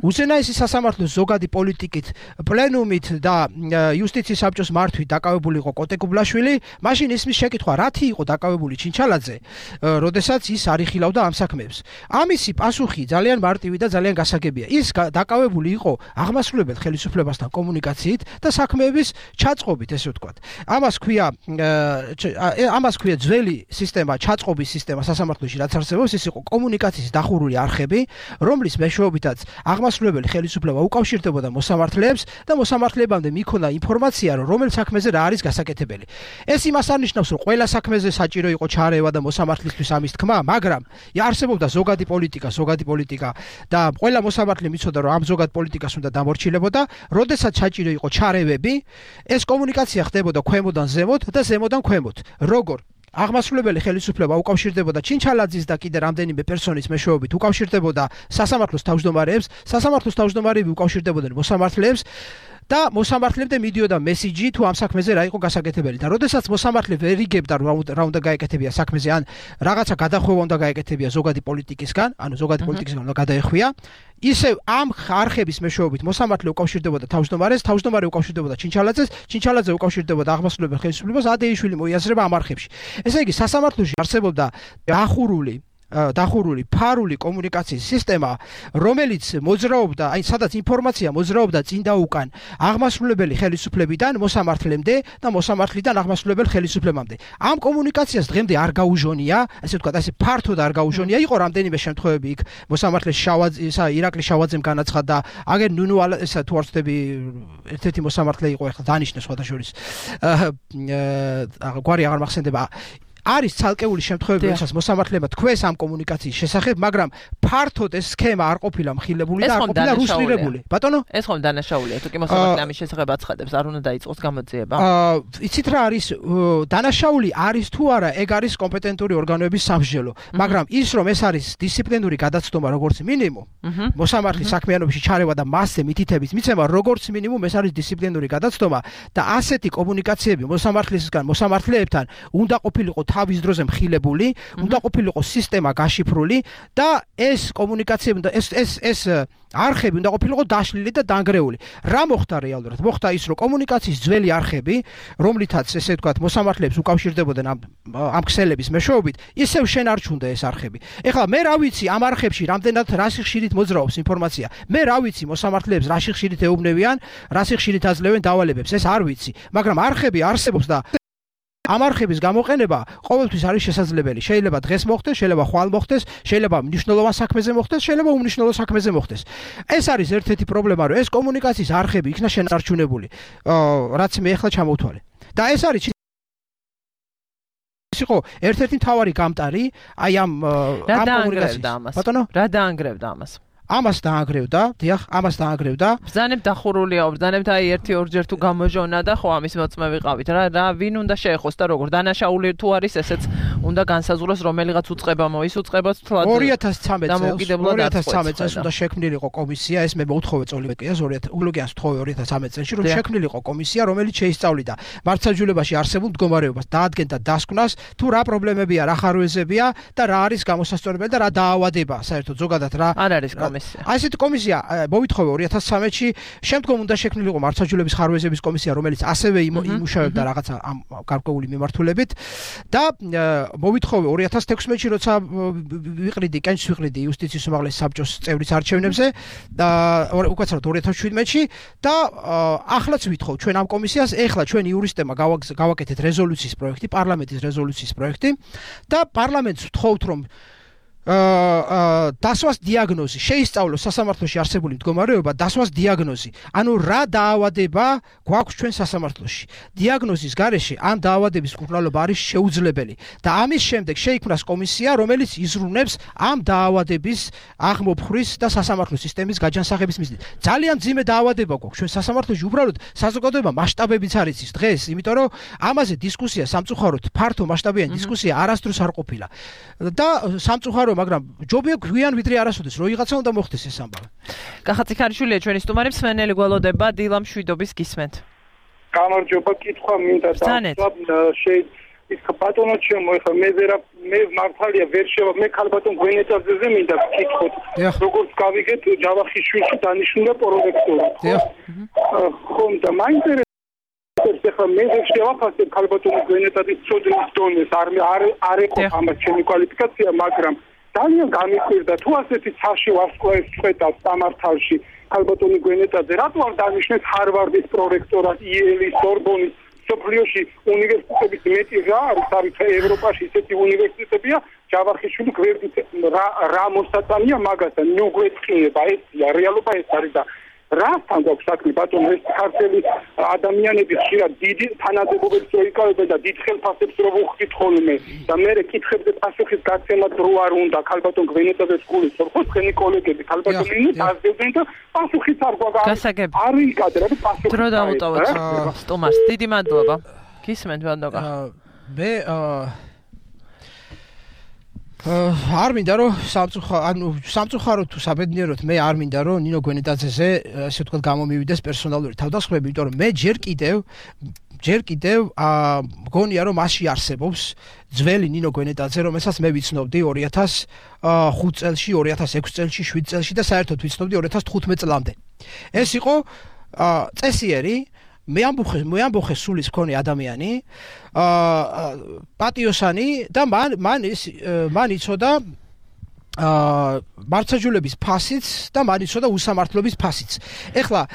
უზენაესი სასამართლოს ზოგადი პოლიტიკით, პლენუმით და იუსტიციის საბჭოს მართვით დაკავებული იყო კოტე კუბლაშვილი, მაშინ ისმის შეკითხვა, რათი იყო დაკავებული ჩინჩალაძე, როდესაც ის არ იხილავდა ამ საქმეებს. ამისი პასუხი ძალიან მარტივი და ძალიან გასაგებია. ის დაკავებული იყო აღმასრულებელ ხელისუფლებასთან კომუნიკაციით და საქმეების ჩაწყობით, ესე ვთქვათ. ამას ქვია ძველი სისტემა, ჩაწყობის სისტემა სასამართლოში, რაც არსებობს, ის იყო კომუნიკაციის დახურული არხები, რომლის მეშვეობითაც აღმასრულებელი ხელისუფლება უკავშირდებოდა მოსამართლეებს და მოსამართლებამდე მიქონდა ინფორმაცია, რომ რომელ საქმეზე რა არის გასაკეთებელი. ეს იმას არ ნიშნავს, რომ ყველა საქმეზე საჭირო იყო ჩარევა და მოსამართლისთვის ამის თქმა, მაგრამ არსებობდა ზოგადი პოლიტიკა და ყველა მოსამართლე მიცოდა, რომ ამ ზოგად პოლიტიკას უნდა დამორჩილებოდა, როდესაც საჭირო იყო ჩარევები, ეს კომუნიკაცია ხდებოდა ქვემოდან ზემოთ და ზემოდან ქვემოთ. როგორ აღმასრულებელი ხელისუფლება უკავშირდებოდა ჩინჩალაძის და კიდე რამდენიმე პერსონის მეშვეობით უკავშირდებოდა სასამართლოს თავმჯდომარეებს, სასამართლოს თავმჯდომარეები უკავშირდებოდნენ მოსამართლეებს და მოსამართლემდე მიდიოდა მესიჯი თუ ამ საქმეზე რა იყო გასაკეთებელი და როდესაც მოსამართლე ვერ იგებდა რა უნდა გაეკეთებია საქმეზე ან რაღაცა გადახვევა უნდა გაეკეთებია ზოგადი პოლიტიკისგან, ანუ ზოგადი პოლიტიკისგან უნდა გადაეხვია, ისევ ამ არხების მეშვეობით მოსამართლე უკავშირდებოდა თავმჯდომარეს, თავმჯდომარე უკავშირდებოდა ჩინჩალაძეს, ჩინჩალაძე უკავშირდებოდა აღმასრულებელ ხელისუფლებას, ადეიშვილი მოიაზრება ამ არხებში. ესე იგი, სასამართლოში არსებობდა დახურული ფარული კომუნიკაციის სისტემა, რომელიც მოძრაობდა, აი სადაც ინფორმაცია მოძრაობდა წინ და უკან აღმასრულებელი ხელისუფლებიდან მოსამართლემდე და მოსამართლიდან აღმასრულებელ ხელისუფლებამდე. ამ კომუნიკაციას დღემდე არ გაუჟონია, ასე ვთქვათ, ასე ფართოდ არ გაუჟონია. იყო რამდენიმე შემთხვევები იქ მოსამართლეს ირაკლი შავაძემ განაცხადა, აგერ ნუნუ ესა თუ არ ვთქვი, ერთ-ერთი მოსამართლე იყო, ეხლა დანიშნე სხვადასხვის. გვარი აღარ მახსენდება. არის ცალკეული შემთხვევები, როდესაც მოსამართლეებმა თქვეს ამ კომუნიკაციის შესახებ, მაგრამ ფართოდ ეს სქემა არ ყოფილა მხილებული და არ ყოფილა რუსტირებული. ბატონო? ეს ხომ დანაშაულია, თუ კი მოსამართლე ამის შესახებ აცხადებს, არ უნდა დაიწყოს გამოძიება? იცით რა არის, დანაშაული არის თუ არა, ეგ არის კომპეტენტური ორგანოების სამსჯელო, მაგრამ ის რომ ეს არის დისციპლინური გადაცდომა როგორც მინიმუმ, მოსამართლის საქმიანობაში ჩარევა და მასზე მითითების მიცემა როგორც მინიმუმ ეს არის დისციპლინური გადაცდომა და ასეთი კომუნიკაციები მოსამართლისგან მოსამართლეებთან უნდა ყოფილიყო თავის დროზე მხილებული, უნდა ყოფილიყო სისტემა გაშიფრული და ეს კომუნიკაციები და ეს არხები უნდა ყოფილიყო დაშლილი და დანგრეული. რა მოხდა რეალურად? მოხდა ის, რომ კომუნიკაციის ძველი არხები, რომლითაც ესე ვთქვათ, მოსამართლეებს უკავშირდებოდნენ ამ ქსელების მეშვეობით, ისევ შენარჩუნდა ეს არხები. ეხლა მე რა ვიცი ამ არხებში რამდენად რა სიხშირით მოძრაობს ინფორმაცია. მე რა ვიცი მოსამართლეებს რა სიხშირით ეუბნებიან, რა სიხშირით აძლევენ დავალებებს, ეს არ ვიცი, მაგრამ არხები არსებობს და ამ არხების გამოყენება ყოველთვის არის შესაძლებელი. შეიძლება დღეს მოხდეს, შეიძლება ხვალ მოხდეს, შეიძლება მნიშვნელოვან საქმეზე მოხდეს, შეიძლება უმნიშვნელო საქმეზე მოხდეს. ეს არის ერთ-ერთი პრობლემა, რომ ეს კომუნიკაციის არხები იქნა შენარჩუნებული, რაც მე ახლა ჩამოვთვალე. და ეს არის იყო ერთ-ერთი მთავარი გამტარი აი ამ კომუნიკაციის. ბატონო, რა დაანგრევდა ამას? ამას დაანგრევდა, დიახ, ამას დაანგრევდა. ბრძანებ დახურულია, ბრძანებ აი 1-2 თუ გამოჟონა და ხო ამის მოწმე ვიყავით. რა ვინ უნდა შეეხოს და როგორ დანაშაული თუ არის ესეც უნდა განსაზღვროს რომელიღაც უწყება მოისუწყებოთ თლად 2013 წელს უნდა შექმნილიყო კომისია, ეს მე მოუთხოვე წოლიკიას 2013 წელს რომ შექმნილიყო კომისია, რომელიც შეისწავლიდა მართლმსაჯულებაში არსებულ მდგომარეობას, დაადგენდა დასკვნას, თუ რა პრობლემებია, რა ხარვეზებია და რა არის გამოსასწორებელი და რა დაავადება, საერთოდ ზოგადად რა არ არის კომისია. ასეთი კომისია მოვითხოვე 2013-ში, შემდგომ უნდა შექმნილიყო მართლმსაჯულების ხარვეზების კომისია, რომელიც ასევე იმუშავებდა რაღაცა ამ გარკვეული მიმართულებით და მოვითხოვე 2016-ში, როცა ვიყრიდი იუსტიციის უმაღლესი საბჭოს წევრის არჩევნებზე და უკაცრავად 2017-ში და ახლაც ვითხოვ ჩვენ ამ კომისიას, ეხლა ჩვენ იურისტებმა გავაკეთეთ რეზოლუციის პროექტი, პარლამენტის რეზოლუციის პროექტი და პარლამენტს ვთხოვთ რომ დასვას დიაგნოზი შეისწავლოს სასამართლოში არსებული მდგომარეობა, დასვას დიაგნოზი. ანუ რა დაავადება გვაქვს ჩვენ სასამართლოში. დიაგნოზის გარეშე ამ დაავადების მკურნალობა არის შეუძლებელი და ამის შემდეგ შეიქმნას კომისია, რომელიც იზრუნებს ამ დაავადების აღმოფხვრის და სასამართლო სისტემის გაჯანსაღების მიზნით. ძალიან მძიმე დაავადება გვაქვს ჩვენ სასამართლოში, უბრალოდ საზოგადოება მასშტაბებიც არ იცის დღეს, იმიტომ რომ ამაზე დისკუსია სამწუხაროდ ფართო მასშტაბიანი დისკუსია არასდროს არ ყოფილა. და სამწუხარო მაგრამ ჯობია გვიან ვიდრე არასოდეს რო ვიღაცა უნდა მოხდეს ეს ამბავი. კახაძიქარიშვილია ჩვენი სტუმარი, მსმენელი გველოდება დილა მშვიდობის გისმენთ. გამარჯობა, კითხვა მინდა ის ბატონო ჩემო, ეხლა მე მართალია ვერ შევა, მე ქალბატონ გვენეტაძეზე მინდა ვკითხოთ. როგორც გავიგეთ, ჯავახიშვილში დანიშნულა პროექტორი. ხომ და მაინტერესებს ეხლა მე ვერ შევაფასებ ქალბატონ გვენეტაძის წოდნის დონეს, არ ეყო ამას ჩემი კვალიფიკაცია, მაგრამ ძალიან გამიკვირდა თუ ასეთი ცაში ვარსკვლავის წვეტას სამართალში ქალბატონი გვენეტაძე რატო არ დანიშნეს ჰარვარდის პრორექტორად, იელის, სორბონის, სოფლიოში უნივერსიტეტების მეტი რა არის ევროპაში ისეთი უნივერსიტეტებია, ჯავახიშვილი გვერდით რა მოსაწამია მაგასთან, ნუგვეწყინება, ესია რეალობა ეს არის და რასთან გვაქვს საქმე ბატონო, ეს ქართველი ადამიანები ხშირად დიდი თანამდებობებს რო იკავებენ და დიდ ხელფასებს რო უხდით ხოლმე და მე კითხებზე პასუხის გაცემა დრო არ უნდა ქალბატონ გვენეტაძეს გულისხმობ, ხო თქვენი კოლეგები ქალბატონინი დაძებდნენ და პასუხიც არ გვაქვს. არ იკადრა და პასუხი დრო დავუტოვოთ სტუმარს. დიდი მადლობა. გისმენთ ბატონო. მე არ მინდა რომ სამწუხაროდ თუ საბედნიეროდ მე არ მინდა რომ ნინო გვენეტაძეზე ესე ვთქვათ გამომივიდეს პერსონალური თავდასხმები, იმიტომ რომ მე ჯერ კიდევ მგონია რომ მასში არსებობს ძველი ნინო გვენეტაძე, რომელსაც მე ვიცნობდი 2005 წელში, 2006 წელში, 7 წელში და საერთოდ ვიცნობდი 2015 წლამდე. ეს იყო წესიერი მე ამბოხე სულის მქონე ადამიანი, პატიოსანი და მან იცოდა მართლმსაჯულების ფასიც და მან იცოდა უსამართლობის ფასიც. ეხლა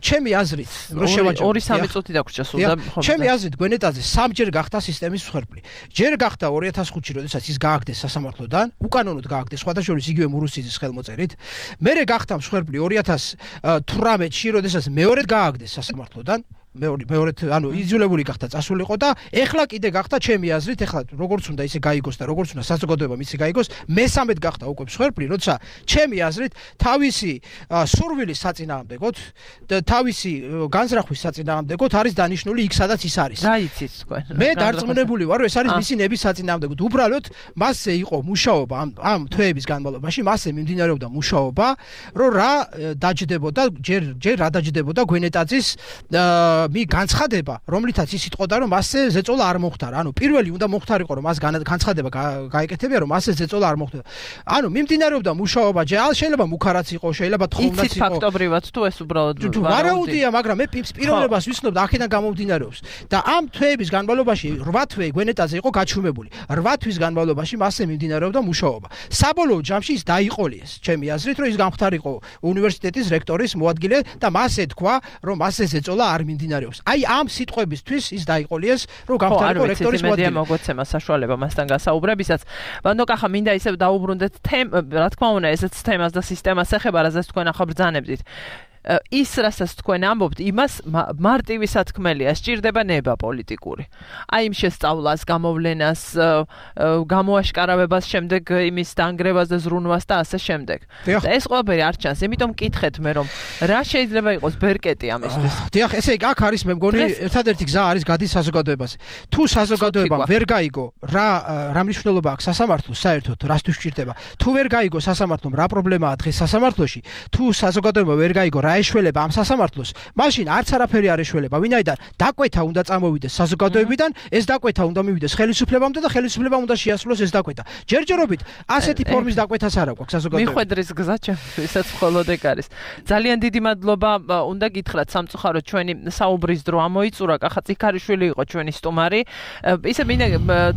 ჩემი აზრით რო შევაჯამო 2-3 წუთი დაგვრჩა სულ და ჩემი აზრით გვენეტაძე სამჯერ გახდა სისტემის მსხვერპლი. ჯერ გახდა 2005-ში, როდესაც ის გააგდეს სასამართლოდან, უკანონოდ გააგდეს, სხვადასხვა იგივე მურუსიძის ხელმოწერით. მერე გახდა მსხვერპლი 2018-ში, როდესაც მეორედ გააგდეს სასამართლოდან. მეორედ ანუ იძულებული გახდა წასულიყო და ეხლა კიდე გახდა ჩემი აზრით, ეხლა როგორც უნდა ისე გაიგოს და როგორც უნდა საზოგადოებამ ისე გაიგოს, მესამედ გახდა უკვე მსხვერპლი, როცა ჩემი აზრით თავისი სურვილის საწინააღმდეგოდ და თავისი განზრახვის საწინააღმდეგოდ არის დანიშნული იქ სადაც ის არის. რა იცით თქვენ? მე დარწმუნებული ვარ, რომ ეს არის მისი ნების საწინააღმდეგოდ. უბრალოდ მასზე იყო მუშაობა ამ თვეების განმავლობაში, მასზე მიმდინარეობდა მუშაობა, რომ რა დაჯდებოდა, ჯერ რა დაჯდებოდა გვენეტაძის განცხადება, რომლითაც ის იტყოდა, რომ მასზე ზეწოლა არ მოხდარა. ანუ პირველი უნდა მოხდარიყო, რომ მას განცხადება გაეკეთებია, რომ მასზე ზეწოლა არ მოხდარა. ანუ მიმდინარეობდა მუშაობა, შეიძლება მუქარაც იყო, შეიძლება თხოვნაც იყო. იცით ფაქტობრივად თუ ეს უბრალოდ ვარაუდია, მაგრამ მე პიროვნებას ვიცნობ და აქედან გამომდინარეობს. და ამ თვეების განმავლობაში 8 თვე გვენეტაძე იყო გაჩუმებული. 8 თვის განმავლობაში მასზე მიმდინარეობდა მუშაობა. საბოლოო ჯამში ის დაიყოლიეს, ჩემი აზრით, რომ ის გამხდარიყო უნივერსიტეტის რექტორის მოადგილე და მას ეთქვა, რომ მასზე ზეწოლა არ მიმდინარეობდა. მიმდინარეობს. აი ამ სიტყვებისთვის ის დაიყოლიეს, რომ გამხდარიყო რექტორის მოადგილე. მოგოცემა საშუალება მასთან გასაუბრებისაც. ბანო კახა მინდა ისევ დაუბრუნდეთ რა თქმა უნდა, ესეც თემას და სისტემას ეხება, რაზეც თქვენ ახლა ბრძანებდით. ის რასაც თქვენ ამბობთ, იმას მარტივი სათქმელია, სჭირდება ნება პოლიტიკური. აი იმ შესწავლას, გამოვლენას, გამოაშკარავებას, შემდეგ იმის დანგრევას და ზრუნვას და ასე შემდეგ. და ეს ყველაფერი არ ჩანს, იმიტომ მკითხეთ მე რომ რა შეიძლება იყოს ბერკეტი ამისთვის. დიახ, ესე იგი აქ არის მე მგონი ერთადერთი გზა არის გადის საზოგადოებაზე. თუ საზოგადოებამ ვერ გაიგო რა მნიშვნელობა აქვს სასამართლოს საერთოდ, რასთვის სჭირდება. თუ ვერ გაიგო სასამართლომ რა პრობლემაა დღეს სასამართლოში, თუ საზოგადოებამ ვერ გაიგო ეშველება ამ სასამართლოს, მაშინ არც არაფერი არ ეშველება, ვინაიდან დაკვეთა უნდა წამოვიდეს საზოგადოებიდან, ეს დაკვეთა უნდა მივიდეს ხელისუფლებამდე და ხელისუფლებამ უნდა შეასრულოს ეს დაკვეთა. ჯერჯერობით ასეთი ფორმის დაკვეთას არ აქვს საზოგადოებაში. მიხვედრის გზა ჩემთვისაც მხოლოდ ეგ არის. ძალიან დიდი მადლობა უნდა გითხრათ სამწუხაროდ ჩვენი საუბრის დრო ამოიწურა, კახა წიქარიშვილი იყო ჩვენი სტუმარი. ისე მინდა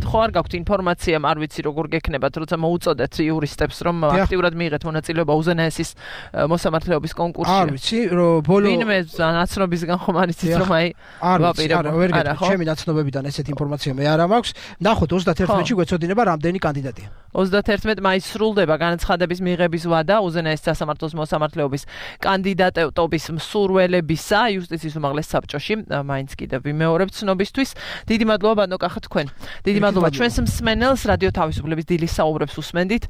ხო არ გაქვთ ინფორმაცია, არ ვიცი როგორ გექნებათ, როცა მოუწოდეთ იურისტებს რომ აქტიურად მიიღეთ მონაწილეობა უზენაესის მოსამართლეობის კონკურსში. არ ვიცი რომ ბოლო ვინმე ნაცნობისგან ხომ არ იცით რომ აი ვაპირებო ვერ გეტყვი ჩემი ნაცნობებიდან ესეთ ინფორმაცია მე არ მაქვს ნახოთ 31-ში გვეცოდინება რამდენი კანდიდატია 31 მაისს სრულდება განაცხადების მიღების ვადა უზენაეს სასამართლოს მოსამართლეობის კანდიდატობის მსურველებისა იუსტიციის უმაღლეს საბჭოში მაინც კიდევ ვიმეორებ ცნობისთვის დიდი მადლობა ბანო კახა თქვენ დიდი მადლობა ჩვენს მსმენელს რადიო თავისუფლების დილის საუბრებს უსმენდით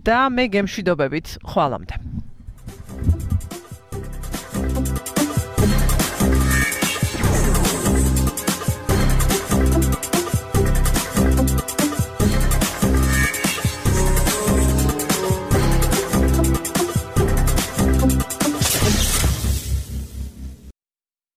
და მე გემშვიდობებით ხვალამდე